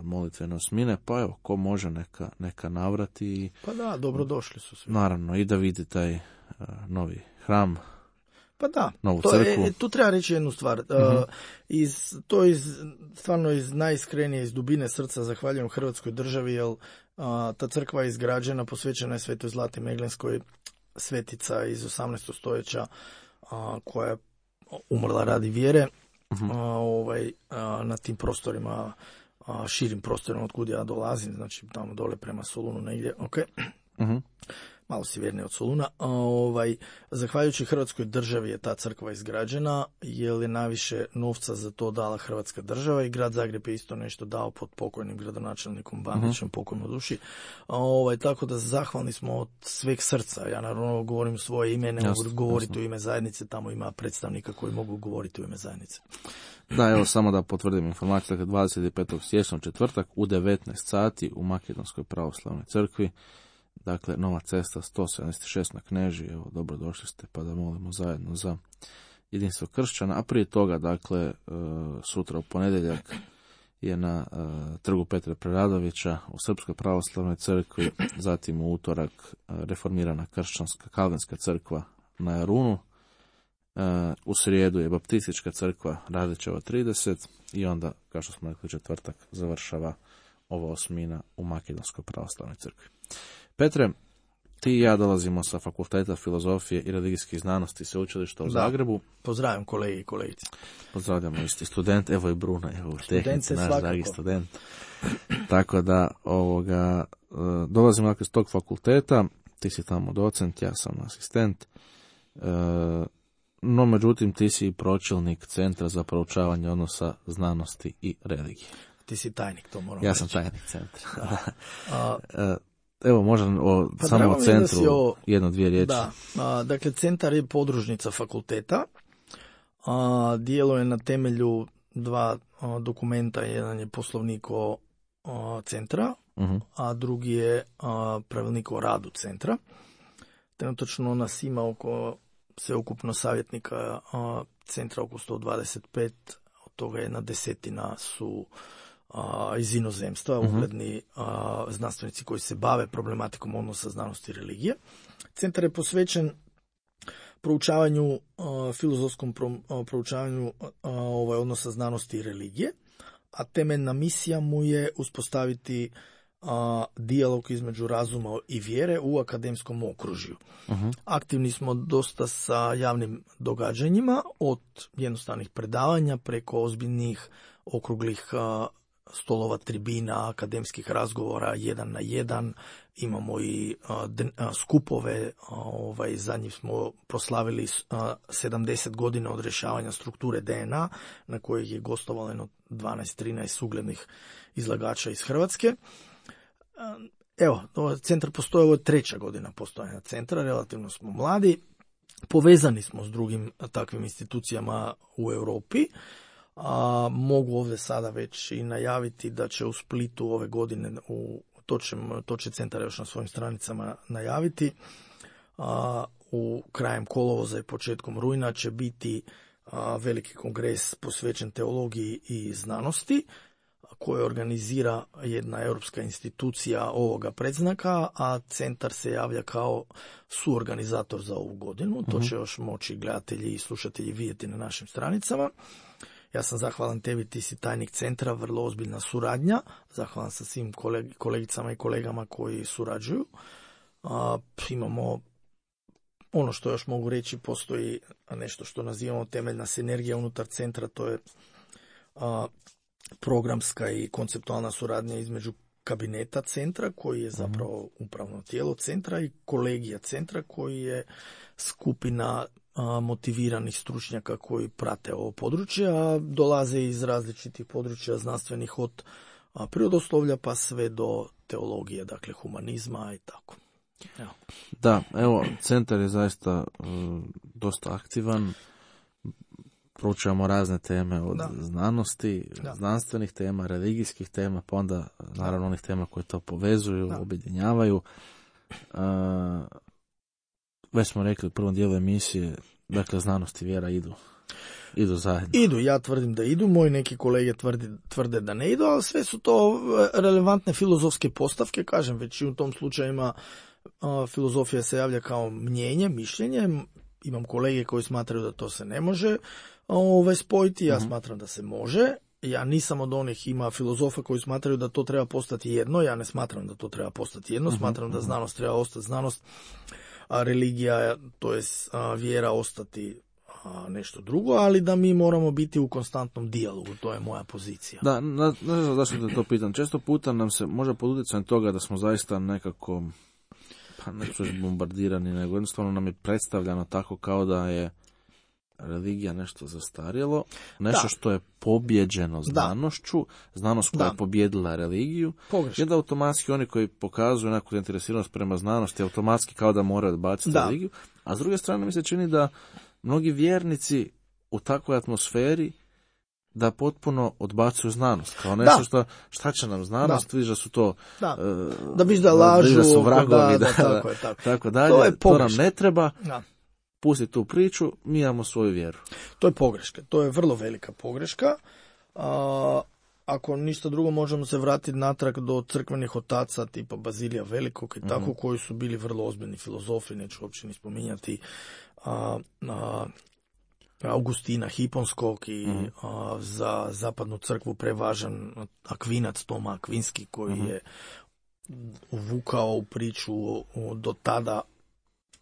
molitvene osmine, pa evo, ko može neka navrati. Pa da, dobrodošli su svi. Naravno, i da vidi taj novi hram, pa da, novu crkvu. Tu treba reći jednu stvar. Stvarno iz najiskrenije, iz dubine srca zahvaljujem Hrvatskoj državi, jer ta crkva je izgrađena, posvećena je Svetoj Zlati Meglenskoj, svetica iz 18. stoljeća koja je umrla radi vjere. Na tim prostorima, širim prostorima od kud ja dolazim, znači tamo dole prema Solunu negdje, malo sjevernije od Soluna. Zahvaljujući Hrvatskoj državi je ta crkva izgrađena, jer je najviše novca za to dala Hrvatska država i grad Zagreb je isto nešto dao pod pokojnim gradonačelnikom Bandićem, pokojno duši. Tako da zahvalni smo od sveg srca. Ja naravno govorim svoje ime, ne mogu govoriti u ime zajednice, tamo ima predstavnika koji mogu govoriti u ime zajednice. Da, evo samo da potvrdim informaciju, dakle 25. siječnja četvrtak u 19 sati u Makedonskoj pravoslavnoj crkvi. Dakle, nova cesta 176 na Knežiji, evo, dobrodošli ste pa da molimo zajedno za jedinstvo kršćana, a prije toga, dakle, sutra u ponedjeljak je na trgu Petra Preradovića u Srpskoj pravoslavnoj crkvi, zatim u utorak reformirana kršćanska kalvinska crkva na Jarunu, u srijedu je baptistička crkva Radićeva 30 i onda, kao što smo rekli, četvrtak završava ova osmina u Makedonskoj pravoslavnoj crkvi. Petre, ti i ja dolazimo sa Fakulteta filozofije i religijskih znanosti Sveučilišta u Zagrebu. Pozdravljam kolege i kolegice. Pozdravljamo isti student, evo i Bruna, evo u tehnici, naš dragi student. Tako da, dolazimo dakle s tog fakulteta, ti si tamo docent, ja sam asistent, no međutim ti si pročelnik Centra za proučavanje odnosa znanosti i religije. Ti si tajnik, to moram reći. Ja sam tajnik centra. Evo, možda samo o centru jedno-dvije riječi. Da, dakle, centar je podružnica fakulteta. Djeluje na temelju dva dokumenta. Jedan je poslovnik o centra, a drugi je pravilnik o radu centra. Trenutačno nas ima sveukupno savjetnika centra oko 125, od toga 1/10 su iz inozemstva, ugledni znanstvenici koji se bave problematikom odnosa znanosti i religije. Centar je posvećen proučavanju, filozofskom proučavanju odnosa znanosti i religije, a temeljna misija mu je uspostaviti dijalog između razuma i vjere u akademskom okružju. Aktivni smo dosta sa javnim događanjima, od jednostavnih predavanja preko ozbiljnih okruglih stolova, tribina, akademskih razgovora 1 na 1. Imamo i skupove, zadnji smo proslavili 70 godina od rješavanja strukture DNA, na kojih je gostovalo 12-13 uglednih izlagača iz Hrvatske. Evo, centar postoji, ovo je 3. godina postojanja centra, relativno smo mladi, povezani smo s drugim takvim institucijama u Europi. Mogu ovdje sada već i najaviti da će u Splitu ove godine, to će centar još na svojim stranicama najaviti, u krajem kolovoza i početkom rujna će biti veliki kongres posvećen teologiji i znanosti, koje organizira jedna europska institucija ovoga predznaka, a centar se javlja kao suorganizator za ovu godinu. To će još moći gledatelji i slušatelji vidjeti na našim stranicama. Ja sam zahvalan tebi, ti si tajnik centra, vrlo ozbiljna suradnja. Zahvalan sam svim kolegicama i kolegama koji surađuju. Imamo, ono što još mogu reći, postoji nešto što nazivamo temeljna sinergija unutar centra, to je programska i konceptualna suradnja između kabineta centra, koji je zapravo upravno tijelo centra, i kolegija centra, koji je skupina motiviranih stručnjaka koji prate ovo područje, a dolaze iz različitih područja znanstvenih, od prirodoslovlja pa sve do teologije, dakle humanizma i tako. Evo. Da, evo, centar je zaista dosta aktivan. Proučavamo razne teme od znanosti, znanstvenih tema, religijskih tema, pa onda naravno onih tema koje to povezuju, objedinjavaju. Već smo rekli u prvom dijelu emisije, dakle znanost i vjera idu zajedno. Idu, ja tvrdim da idu, moji neki kolege tvrde da ne idu, ali sve su to relevantne filozofske postavke, kažem, već i u tom slučajima filozofija se javlja kao mnjenje, mišljenje. Imam kolege koji smatraju da to se ne može spojiti, ja smatram da se može. Ja nisam od onih, ima filozofa koji smatraju da to treba postati jedno, ja ne smatram da to treba postati jedno, smatram da znanost treba ostati znanost, a religija, to je vjera, ostati nešto drugo, ali da mi moramo biti u konstantnom dijalogu, to je moja pozicija. Da, ne znam zašto te to pitam. Često puta nam se može pod utjecajem toga da smo zaista nekako, pa neću bombardirani, nego jednostavno nam je predstavljano tako kao da je religija nešto zastarjelo, nešto što je pobjeđeno znanošću, znanost koja je pobjedila religiju, i da automatski oni koji pokazuju neku zainteresiranost prema znanosti, automatski kao da moraju odbaciti religiju, a s druge strane mi se čini da mnogi vjernici u takvoj atmosferi da potpuno odbacuju znanost, kao nešto šta će nam znanost, vidiš da su to da biš da lažu, da su vragovi, tako dalje, to nam ne treba. Pusti tu priču, mi imamo svoju vjeru. To je pogreška, to je vrlo velika pogreška. Ako ništa drugo, možemo se vratiti natrag do crkvenih otaca tipa Bazilija Velikog i tako, koji su bili vrlo ozbiljni filozofi, neću uopće ni spominjati Augustina Hiponskog i za zapadnu crkvu prevažan Akvinac, Toma Akvinski, koji je uvukao u priču do tada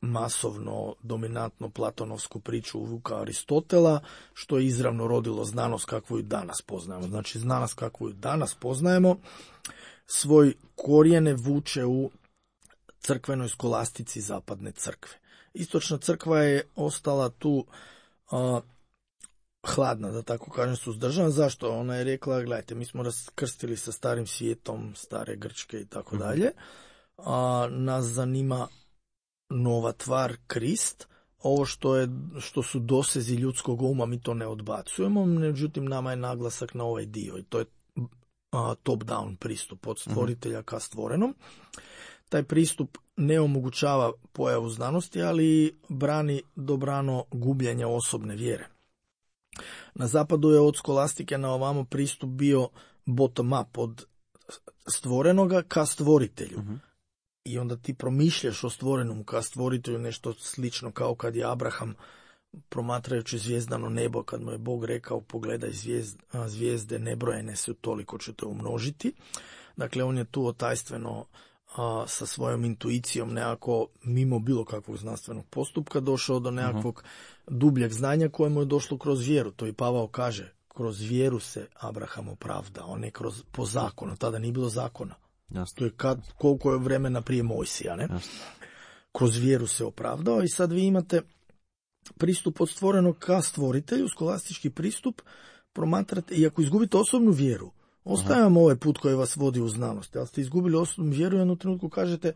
masovno, dominantno platonovsku priču uvukao Aristotela, što je izravno rodilo znanost kakvu ju danas poznajemo. Znači, znanost kakvu ju danas poznajemo svoj korijene vuče u crkvenoj skolastici zapadne crkve. Istočna crkva je ostala tu hladna, da tako kažem, suzdržana. Zašto? Ona je rekla, gledajte, mi smo raskrstili sa starim svijetom, stare Grčke i tako dalje. Nas zanima nova tvar, Krist. Ovo što su dosezi ljudskog uma, mi to ne odbacujemo, međutim nama je naglasak na ovaj dio i to je top-down pristup od stvoritelja ka stvorenom. Taj pristup ne omogućava pojavu znanosti, ali brani dobrano gubljenje osobne vjere. Na zapadu je od skolastike na ovamo pristup bio bottom-up, od stvorenoga ka stvoritelju. I onda ti promišljaš o stvorenom ka stvoritelju, nešto slično kao kad je Abraham, promatrajući zvijezdano nebo, kad mu je Bog rekao pogledaj zvijezde nebrojene su, toliko ću te umnožiti. Dakle, on je tu otajstveno sa svojom intuicijom, nekako mimo bilo kakvog znanstvenog postupka došao do nekakvog dubljeg znanja kojemu je došlo kroz vjeru. To i Pavao kaže, kroz vjeru se Abraham opravdao, a ne po zakonu. Tada nije bilo zakona. Jasne. To je koliko je vremena prije Mojsija, ne? Kroz vjeru se opravdao i sad vi imate pristup od stvorenog ka stvoritelju, skolastički pristup, promatrate, i ako izgubite osobnu vjeru, ostaje vam ovaj put koji vas vodi u znanost, ali ste izgubili osobnu vjeru i u jednom trenutku kažete,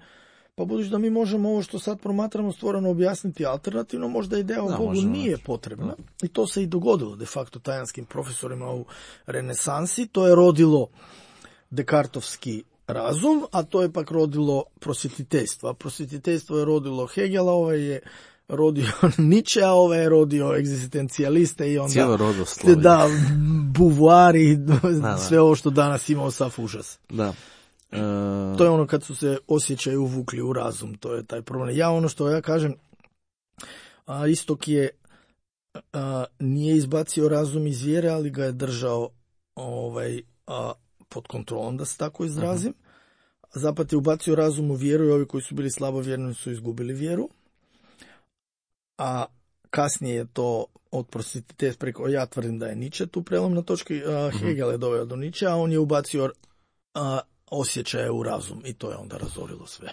pa budući da mi možemo ovo što sad promatramo stvoreno objasniti alternativno, možda ideja o Bogu nije potrebna. I to se i dogodilo de facto tajanskim profesorima u renesansi. To je rodilo dekartovski razum, a to je pak rodilo prosvjetiteljstvo. A prosvjetiteljstvo je rodilo Hegela, ovaj je rodio Nietzsche, a ovaj je rodio egzistencijaliste i onda cijelo rodoslovje. Da, buvuari, sve ovo što danas imamo sav užas. Da. To je ono kad su se osjećaji uvukli u razum, to je taj problem. Ja ono što ja kažem, Istok je nije izbacio razum iz vjere, ali ga je držao pod kontrolom, da se tako izrazim. Zapad je ubacio razum u vjeru i ovi koji su bili slabovjerni su izgubili vjeru. A kasnije je to od prosvjetiteljstva preko, ja tvrdim da je Nietzsche tu prelomna točka, Hegel je doveo do Nietzsche, a on je ubacio osjećaje u razum i to je onda razorilo sve.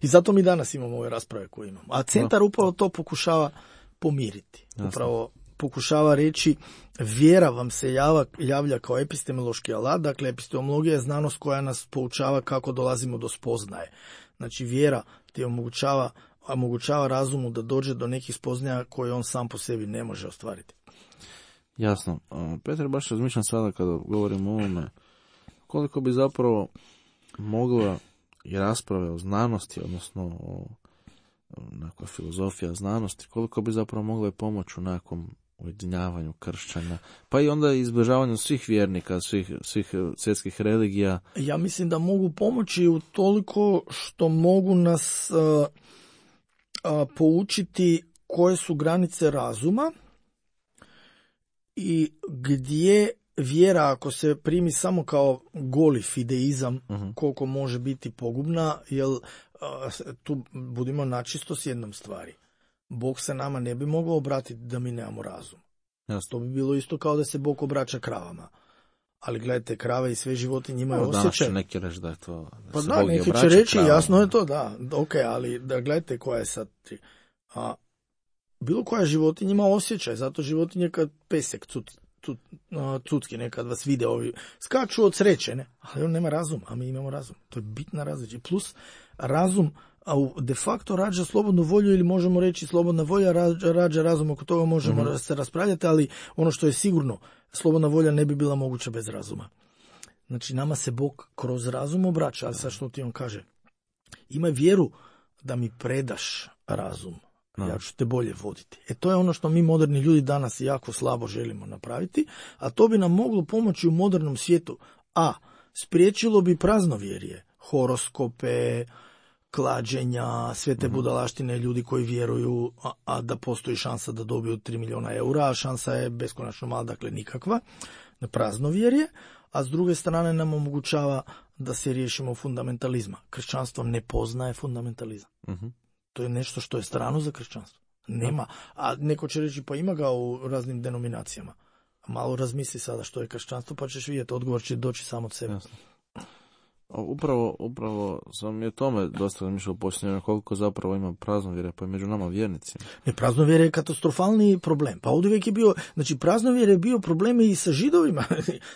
I zato mi danas imamo ove rasprave koje imamo. A centar upravo to pokušava pomiriti. Upravo pokušava reći vjera vam se javlja kao epistemološki alat, dakle epistemologija je znanost koja nas poučava kako dolazimo do spoznaje. Znači vjera ti omogućava razumu da dođe do nekih spoznaja koje on sam po sebi ne može ostvariti. Jasno. Petar, baš razmišljam sada kada govorimo o ovome, koliko bi zapravo mogla i rasprave o znanosti, odnosno o nekoj filozofija znanosti, koliko bi zapravo mogla pomoći u nekom ujedinjavanju kršćana, pa i onda izbližavanju svih vjernika, svih svjetskih religija. Ja mislim da mogu pomoći u toliko što mogu nas poučiti koje su granice razuma i gdje vjera, ako se primi samo kao goli fideizam, koliko može biti pogubna, jer tu budimo načisto s jednom stvari. Bog se nama ne bi mogao obratiti da mi nemamo razum. Jasno. To bi bilo isto kao da se Bog obraća kravama. Ali gledajte, krave i sve životinje imaju osjećaj. Danas neki reći da je to... Da pa se da, Bog neki obraća će reći, kravama. jasno je to, da. Ok, ali da gledajte koja je sad... bilo koja životinja ima osjećaj, zato životinje kad pesek cucki nekad vas vide ovi, skaču od sreće, ne? Ali on nema razum, a mi imamo razum. To je bitna razlika. Plus razum de facto rađa slobodnu volju, ili možemo reći slobodna volja rađa razum, oko toga možemo se raspravljati, ali ono što je sigurno, slobodna volja ne bi bila moguća bez razuma. Znači nama se Bog kroz razum obraća, ali sad što ti on kaže? Imaj vjeru da mi predaš razum. Ja ću te bolje voditi. To je ono što mi moderni ljudi danas jako slabo želimo napraviti, a to bi nam moglo pomoći u modernom svijetu. A spriječilo bi praznovjerje, horoskope, klađenja, sve te budalaštine, ljudi koji vjeruju, a da postoji šansa da dobiju 3 milijuna eura, a šansa je beskonačno mala, dakle nikakva, na praznovjerje, a s druge strane nam omogućava da se riješimo fundamentalizma. Kršćanstvo ne poznaje fundamentalizam. To je nešto što je strano za kršćanstvo. Nema. A neko će reći, pa ima ga u raznim denominacijama. Malo razmisli sada što je kršćanstvo, pa ćeš vidjeti, odgovor će doći samo od sebe. Jasno. Upravo sam i o tome dosta razmišljao posljednje, koliko zapravo ima praznovjerja pa i među nama vjernicima. Ne, praznovjerje je katastrofalni problem. Pa ovdje uvijek je bio, znači praznovjerje je bio problem i sa Židovima.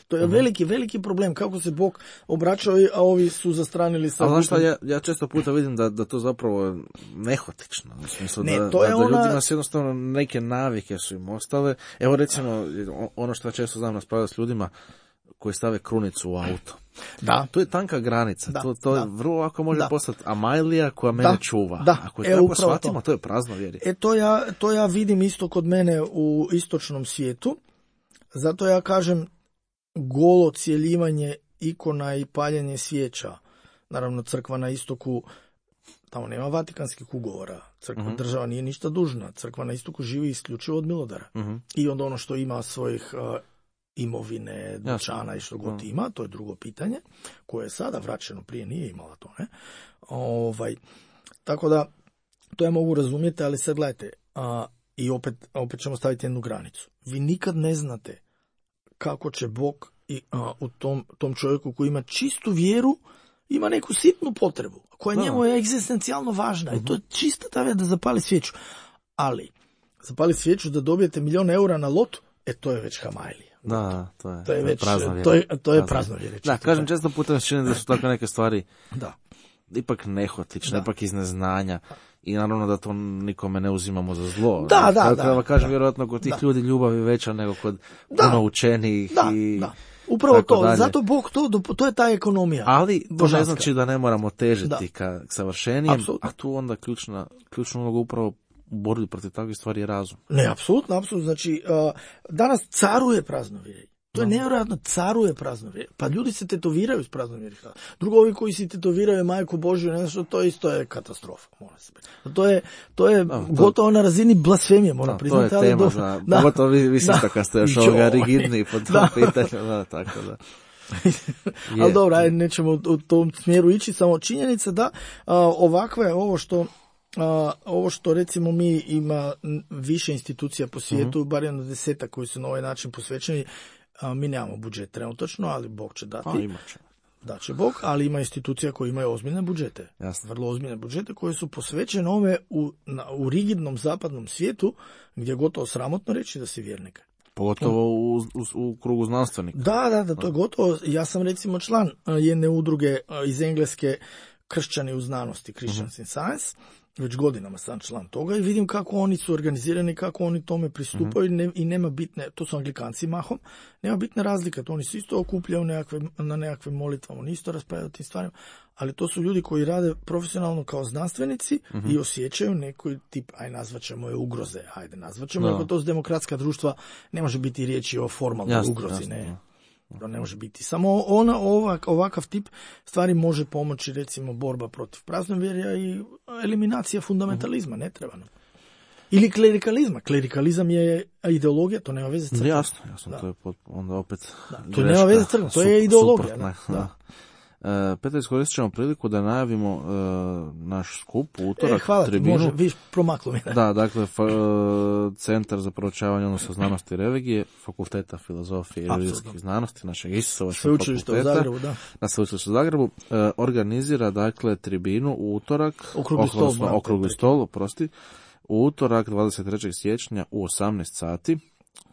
To je veliki problem, kako se Bog obraćao, a ovi su zastranili sa... Ali znaš šta, ja često puta vidim da to zapravo je nehotično. U smislu da ljudima se jednostavno neke navike su im ostale. Evo recimo, ono što ja često znam raspravljati s ljudima koji stave krunicu u auto. Da. To je tanka granica. Da, to je vrlo lako može postati Amajlija koja mene čuva. Da. Ako je tako shvatimo, to je praznovjerje. To ja vidim isto kod mene u istočnom svijetu. Zato ja kažem golo cjeljivanje ikona i paljenje svijeća. Naravno, crkva na istoku, tamo nema vatikanskih ugovora. Crkva država nije ništa dužna. Crkva na istoku živi isključivo od milodara. I onda ono što ima svojih imovine, dućana i što god ima, to je drugo pitanje, koje je sada vraćeno, prije nije imala to, ne? Tako da, to ja mogu razumjeti, ali sad gledajte, i opet ćemo staviti jednu granicu. Vi nikad ne znate kako će Bog u tom čovjeku koji ima čistu vjeru, ima neku sitnu potrebu, koja njemu je egzistencijalno važna, i to je čista ta vjera da zapali svijeću. Ali, zapali svijeću da dobijete 1 milijun eura na lotu, to je već Hamajlija. Da, to je praznovjerje. Da, kažem, često puta mi se čini da su takve neke stvari ipak nehotične, ipak iz neznanja, i naravno da to nikome ne uzimamo za zlo. Da. Kažem, vjerojatno kod tih ljudi ljubav je veća nego kod puno učenijih i... Upravo to, dalje. Zato Bog to je ta ekonomija. Ali to ne znači da ne moramo težiti ka savršenijem, a tu onda ključna uloga upravo u borbi protiv takvih stvari je razum. Ne, apsolutno. Znači, danas caruje praznovjerje. To je nevjerojatno, caruje praznovjerje. Pa ljudi se tetoviraju s praznovjerjem. Drugo, ovi koji se tetoviraju Majku Božju, nešto, to isto je katastrofa. To je gotovo na razini blasfemije, moram priznati. To je tema, pogotovo vi ste kad ste još ovoga rigidni pod tom pitanju. Tako da. Ali dobro, nećemo u tom smjeru ići, samo činjenica da ovakve, ovo što recimo mi ima više institucija po svijetu, bar jedno 10 koji su na ovaj način posvećeni, mi nemamo budžet trenutačno, ali Bog će dati. da će Bog, ali ima institucija koje imaju ozbiljne budžete. Jasno. Vrlo ozbiljne budžete koje su posvećene ove u rigidnom zapadnom svijetu gdje je gotovo sramotno reći da si vjernik. Pogotovo u krugu znanstvenika. Da, to je gotovo. Ja sam recimo član jedne udruge iz Engleske, Kršćani u znanosti, Christians in Science, već godinama sam član toga i vidim kako oni su organizirani, kako oni tome pristupaju i nema bitne, to su Anglikanci mahom, nema bitne razlike, to oni se isto okupljaju na nekakvim molitvama, oni isto raspravljaju o tim stvarima, ali to su ljudi koji rade profesionalno kao znanstvenici i osjećaju neki tip, nazvaćemo je ugroze, nazvaćemo, ako to su demokratska društva, ne može biti riječi o formalnoj ugrozi, ne. To ne može biti. Samo ovakav tip stvari može pomoći, recimo, borba protiv praznovjerja i eliminacija fundamentalizma, ne treba nam. Ili klerikalizma. Klerikalizam je ideologija, to nema veze s crkvom. Jasno, to je onda opet to nema veze s crkvom, to je ideologija. Petar, iskoristit ćemo priliku da najavimo naš skup u utorak. Hvala tribinu. ti, može, viš, promaklo mi. Da, dakle, Centar za proučavanje odnosa znanosti i religije, Fakulteta filozofije i religijskih znanosti, našeg Isusovačkog Sveučilišta u Zagrebu, da. Na Sveučilištu u Zagrebu, organizira, dakle, tribinu u utorak, okrugli stol, u utorak 23. siječnja u 18 sati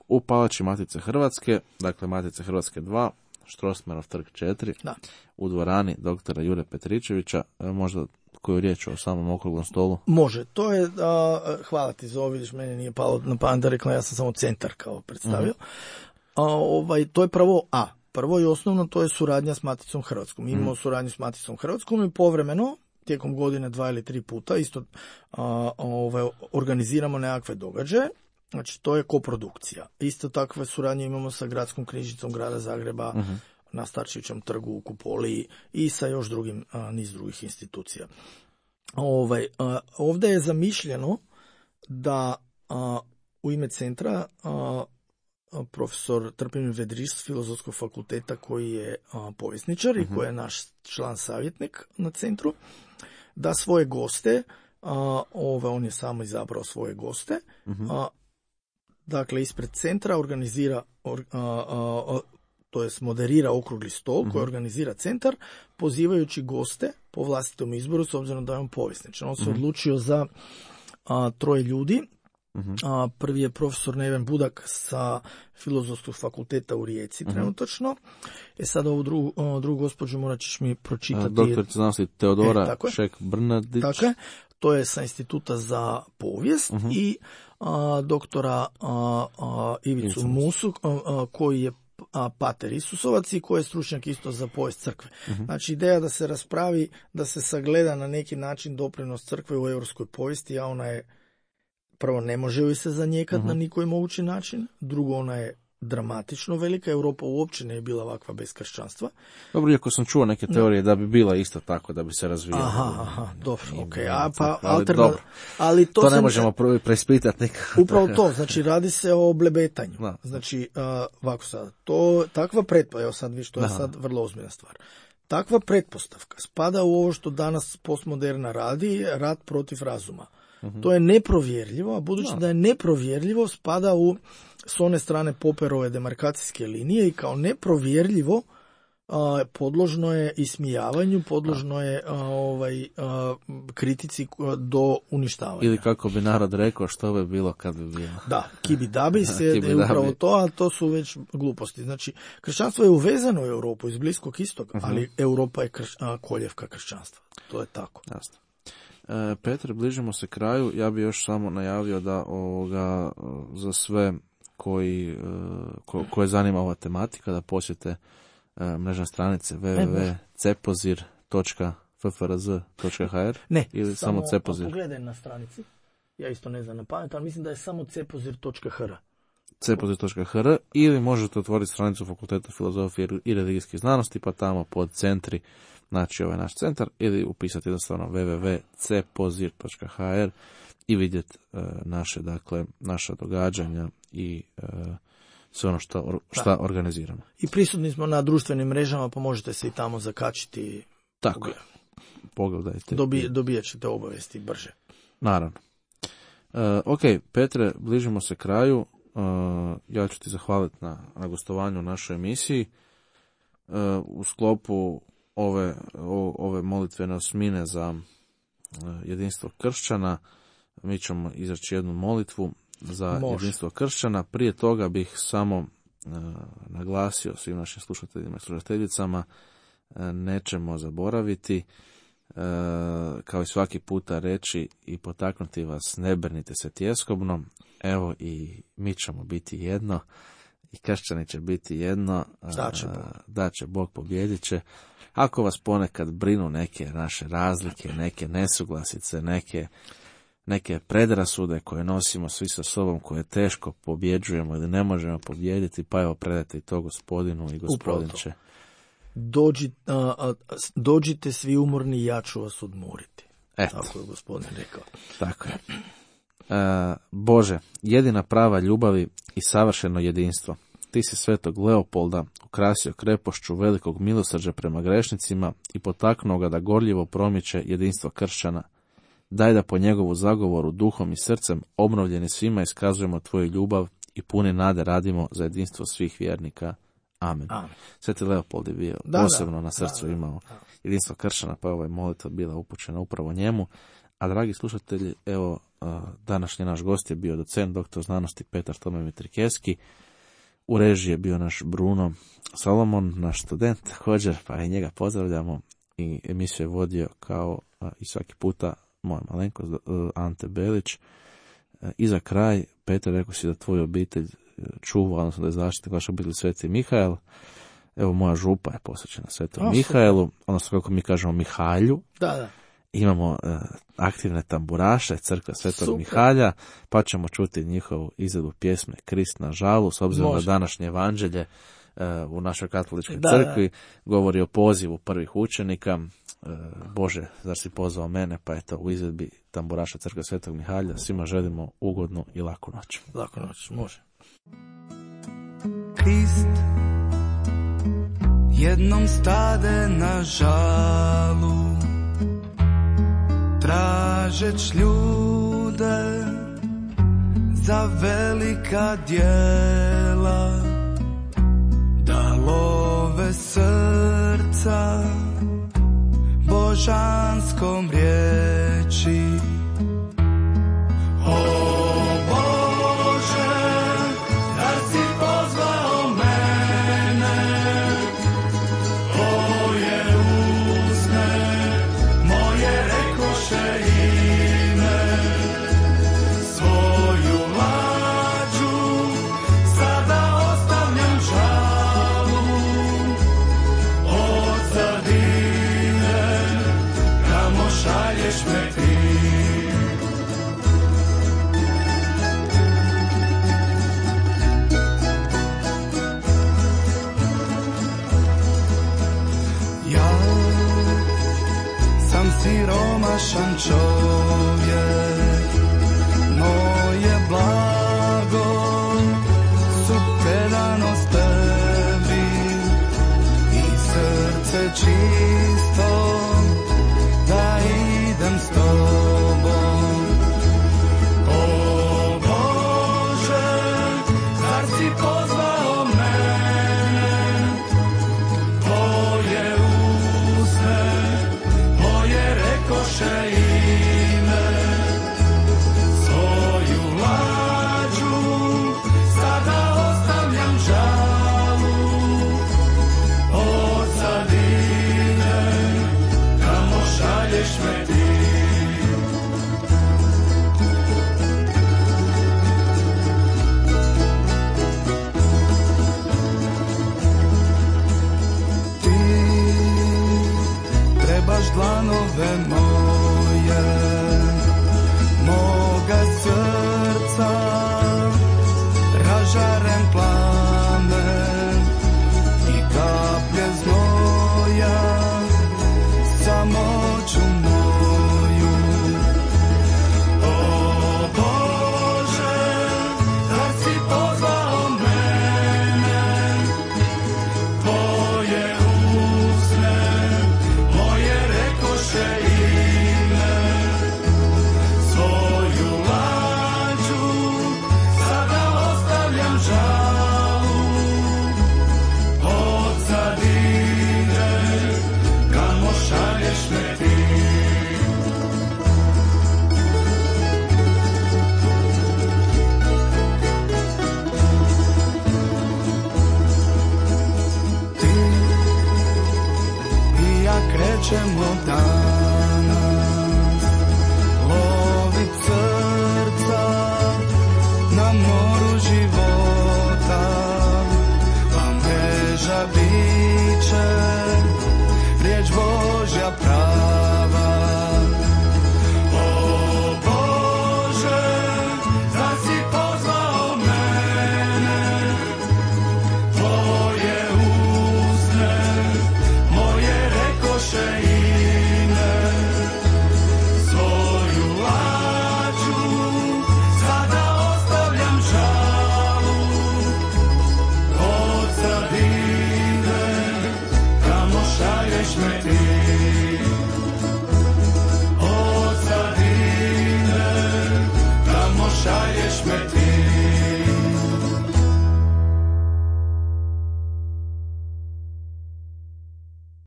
u Palači Matice Hrvatske, dakle Matice Hrvatske 2, Strossmayerov trg 4, da. U dvorani doktora Jure Petričevića. Možda koju riječ o samom okruglom stolu? Može, to je, hvala ti za ovo, vidiš, meni nije palo na pamet da rekla, ja sam samo centar kao predstavio. To je prvo i osnovno, to je suradnja s Maticom Hrvatskom. Mi imamo suradnju s Maticom Hrvatskom i povremeno, tijekom godine 2 ili 3 puta, isto organiziramo nekakve događaje. Znači, to je koprodukcija. Isto takve suradnje imamo sa Gradskom knjižnicom Grada Zagreba, na Starčevićevom trgu u Kupoli i sa još niz drugih institucija. Ovdje je zamišljeno da u ime centra profesor Trpimir Vedriš s Filozofskog fakulteta, koji je povjesničar i koji je naš član savjetnik na centru, da svoje goste, on je samo izabrao svoje goste, dakle ispred centra organizira, to jest moderira okrugli stol koji organizira centar, pozivajući goste po vlastitom izboru, s obzirom da je on povjesničar. On se odlučio za 3 ljudi. Prvi je profesor Neven Budak sa Filozofskog fakulteta u Rijeci trenutačno. Sad ovu drugu gospođu morat ćeš mi pročitati. Doktorica znanosti Teodora Šek-Brnadić. Tako je. To je sa Instituta za povijest i doktora Ivicu Musu, koji je pater Isusovac i koji je stručnjak isto za povijest crkve. Znači, ideja da se raspravi, da se sagleda na neki način doprinos crkve u europskoj povijesti, a ona je, prvo, ne može joj se zanijekati na nikoji mogući način, drugo, ona je dramatično velika, Europa uopće ne je bila ovakva bez kršćanstva. Dobro, iako sam čuo neke teorije da bi bila isto tako, da bi se razvijala. Aha, dobro, okej. Ali to ne možemo preispitati nikako. Upravo to, znači radi se o blebetanju. Znači, ovako sad, takva pretpostavka, evo sad viš, to je sad vrlo ozbiljna stvar. Takva pretpostavka spada u ovo što danas postmoderna radi, rat protiv razuma. To je neprovjerljivo, a budući da je neprovjerljivo, spada s one strane Popperove demarkacijske linije i kao neprovjerljivo podložno je ismijavanju, podložno je kritici do uništavanja. Ili kako bi narod rekao, što bi bilo kad bi bilo. Da, kibidabi je upravo to, a to su već gluposti. Znači, kršćanstvo je uvezano u Europu iz Bliskog istoka, ali Europa je koljevka kršćanstva. To je tako. Jasno. Petre, bližimo se kraju. Ja bi još samo najavio da za sve koje zanima ova tematika, da posjete mrežne stranice www.cepozir.ffrz.hr ili samo Cepozir. Pogledaj na stranici. Ja isto ne znam na pamet, ali mislim da je samo cepozir.hr. Cepozir.hr ili možete otvoriti stranicu Fakulteta filozofije i religijskih znanosti, pa tamo pod centri naći ovaj naš centar ili upisati jednostavno www.cepozir.hr i vidjeti naša događanja i sve ono što organiziramo. I prisutni smo na društvenim mrežama, pa možete se i tamo zakačiti. Tako je. Pogledajte. Dobijat ćete obavijesti brže. Naravno. Ok, Petre, bližimo se kraju. Ja ću ti zahvaliti na gostovanju u našoj emisiji. U sklopu ove molitvene osmine za jedinstvo kršćana. Mi ćemo izreći jednu molitvu za jedinstvo kršćana. Prije toga bih samo naglasio svim našim slušateljima i slušateljicama, nećemo zaboraviti, kao i svaki puta reći i potaknuti vas, ne brinite se tjeskobno. Evo i mi ćemo biti jedno i kršćani će biti jedno. Da će Bog, pobijedit će. Ako vas ponekad brinu neke naše razlike, neke nesuglasice, neke predrasude koje nosimo svi sa sobom, koje teško pobjeđujemo ili ne možemo pobijediti, pa evo predajte i to Gospodinu i Gospodin će. Dođite svi umorni, ja ću vas odmoriti. Eto. Tako je Gospodin rekao. Tako je. Bože, jedina prava ljubavi i savršeno jedinstvo. Ti si svetog Leopolda ukrasio krepošću velikog milosrđa prema grešnicima i potaknuo ga da gorljivo promiče jedinstvo kršćana. Daj da po njegovu zagovoru duhom i srcem obnovljeni svima iskazujemo tvoju ljubav i puni nade radimo za jedinstvo svih vjernika. Amen. Sveti Leopold je bio posebno na srcu imao jedinstvo kršćana, pa je ova molitva bila upućena upravo njemu. A dragi slušatelji, evo, današnji naš gost je bio docent, doktor znanosti Petar Tome Mitrikevski. U režiji je bio naš Bruno Solomon, naš student također, pa i njega pozdravljamo. I emisiju je vodio kao i svaki puta moj malenkost Ante Belić. I za kraj, Petar, rekao si da tvoju obitelj čuva, odnosno da je zaštitnik vaša obitelj Sveti Mihael. Evo, moja župa je posvećena Svetom Mihaelu, odnosno kako mi kažemo Mihalju. Da. Imamo aktivne tamburaše Crkve Svetog Mihalja, pa ćemo čuti njihovu izvedu pjesme Krist na žalu, s obzirom na današnje evanđelje u našoj katoličkoj crkvi govori o pozivu prvih učenika. Bože, zar si pozvao mene? Pa eto, u izvedbi tamburaša Crkve Svetog Mihalja svima želimo ugodnu i laku noć. Laku noć, može. Krist jednom stade na žalu, tražeć ljude za velika djela, da love srca božanskom riječi. O Bože, da si pozvao mene, tvoje usne moje rekoše ime, svoju lađu sada ostavljam žalu, od zadine kamo šalješ me ti. Ja sam siromašan čovjek, moje blago su predanost tebi i srce čisto da idem s tobom. O Bože, zar si pozvao mene, tvoje usne moje rekoše ime, svoju lađu sada ostavljam žalu, od zadine Boži.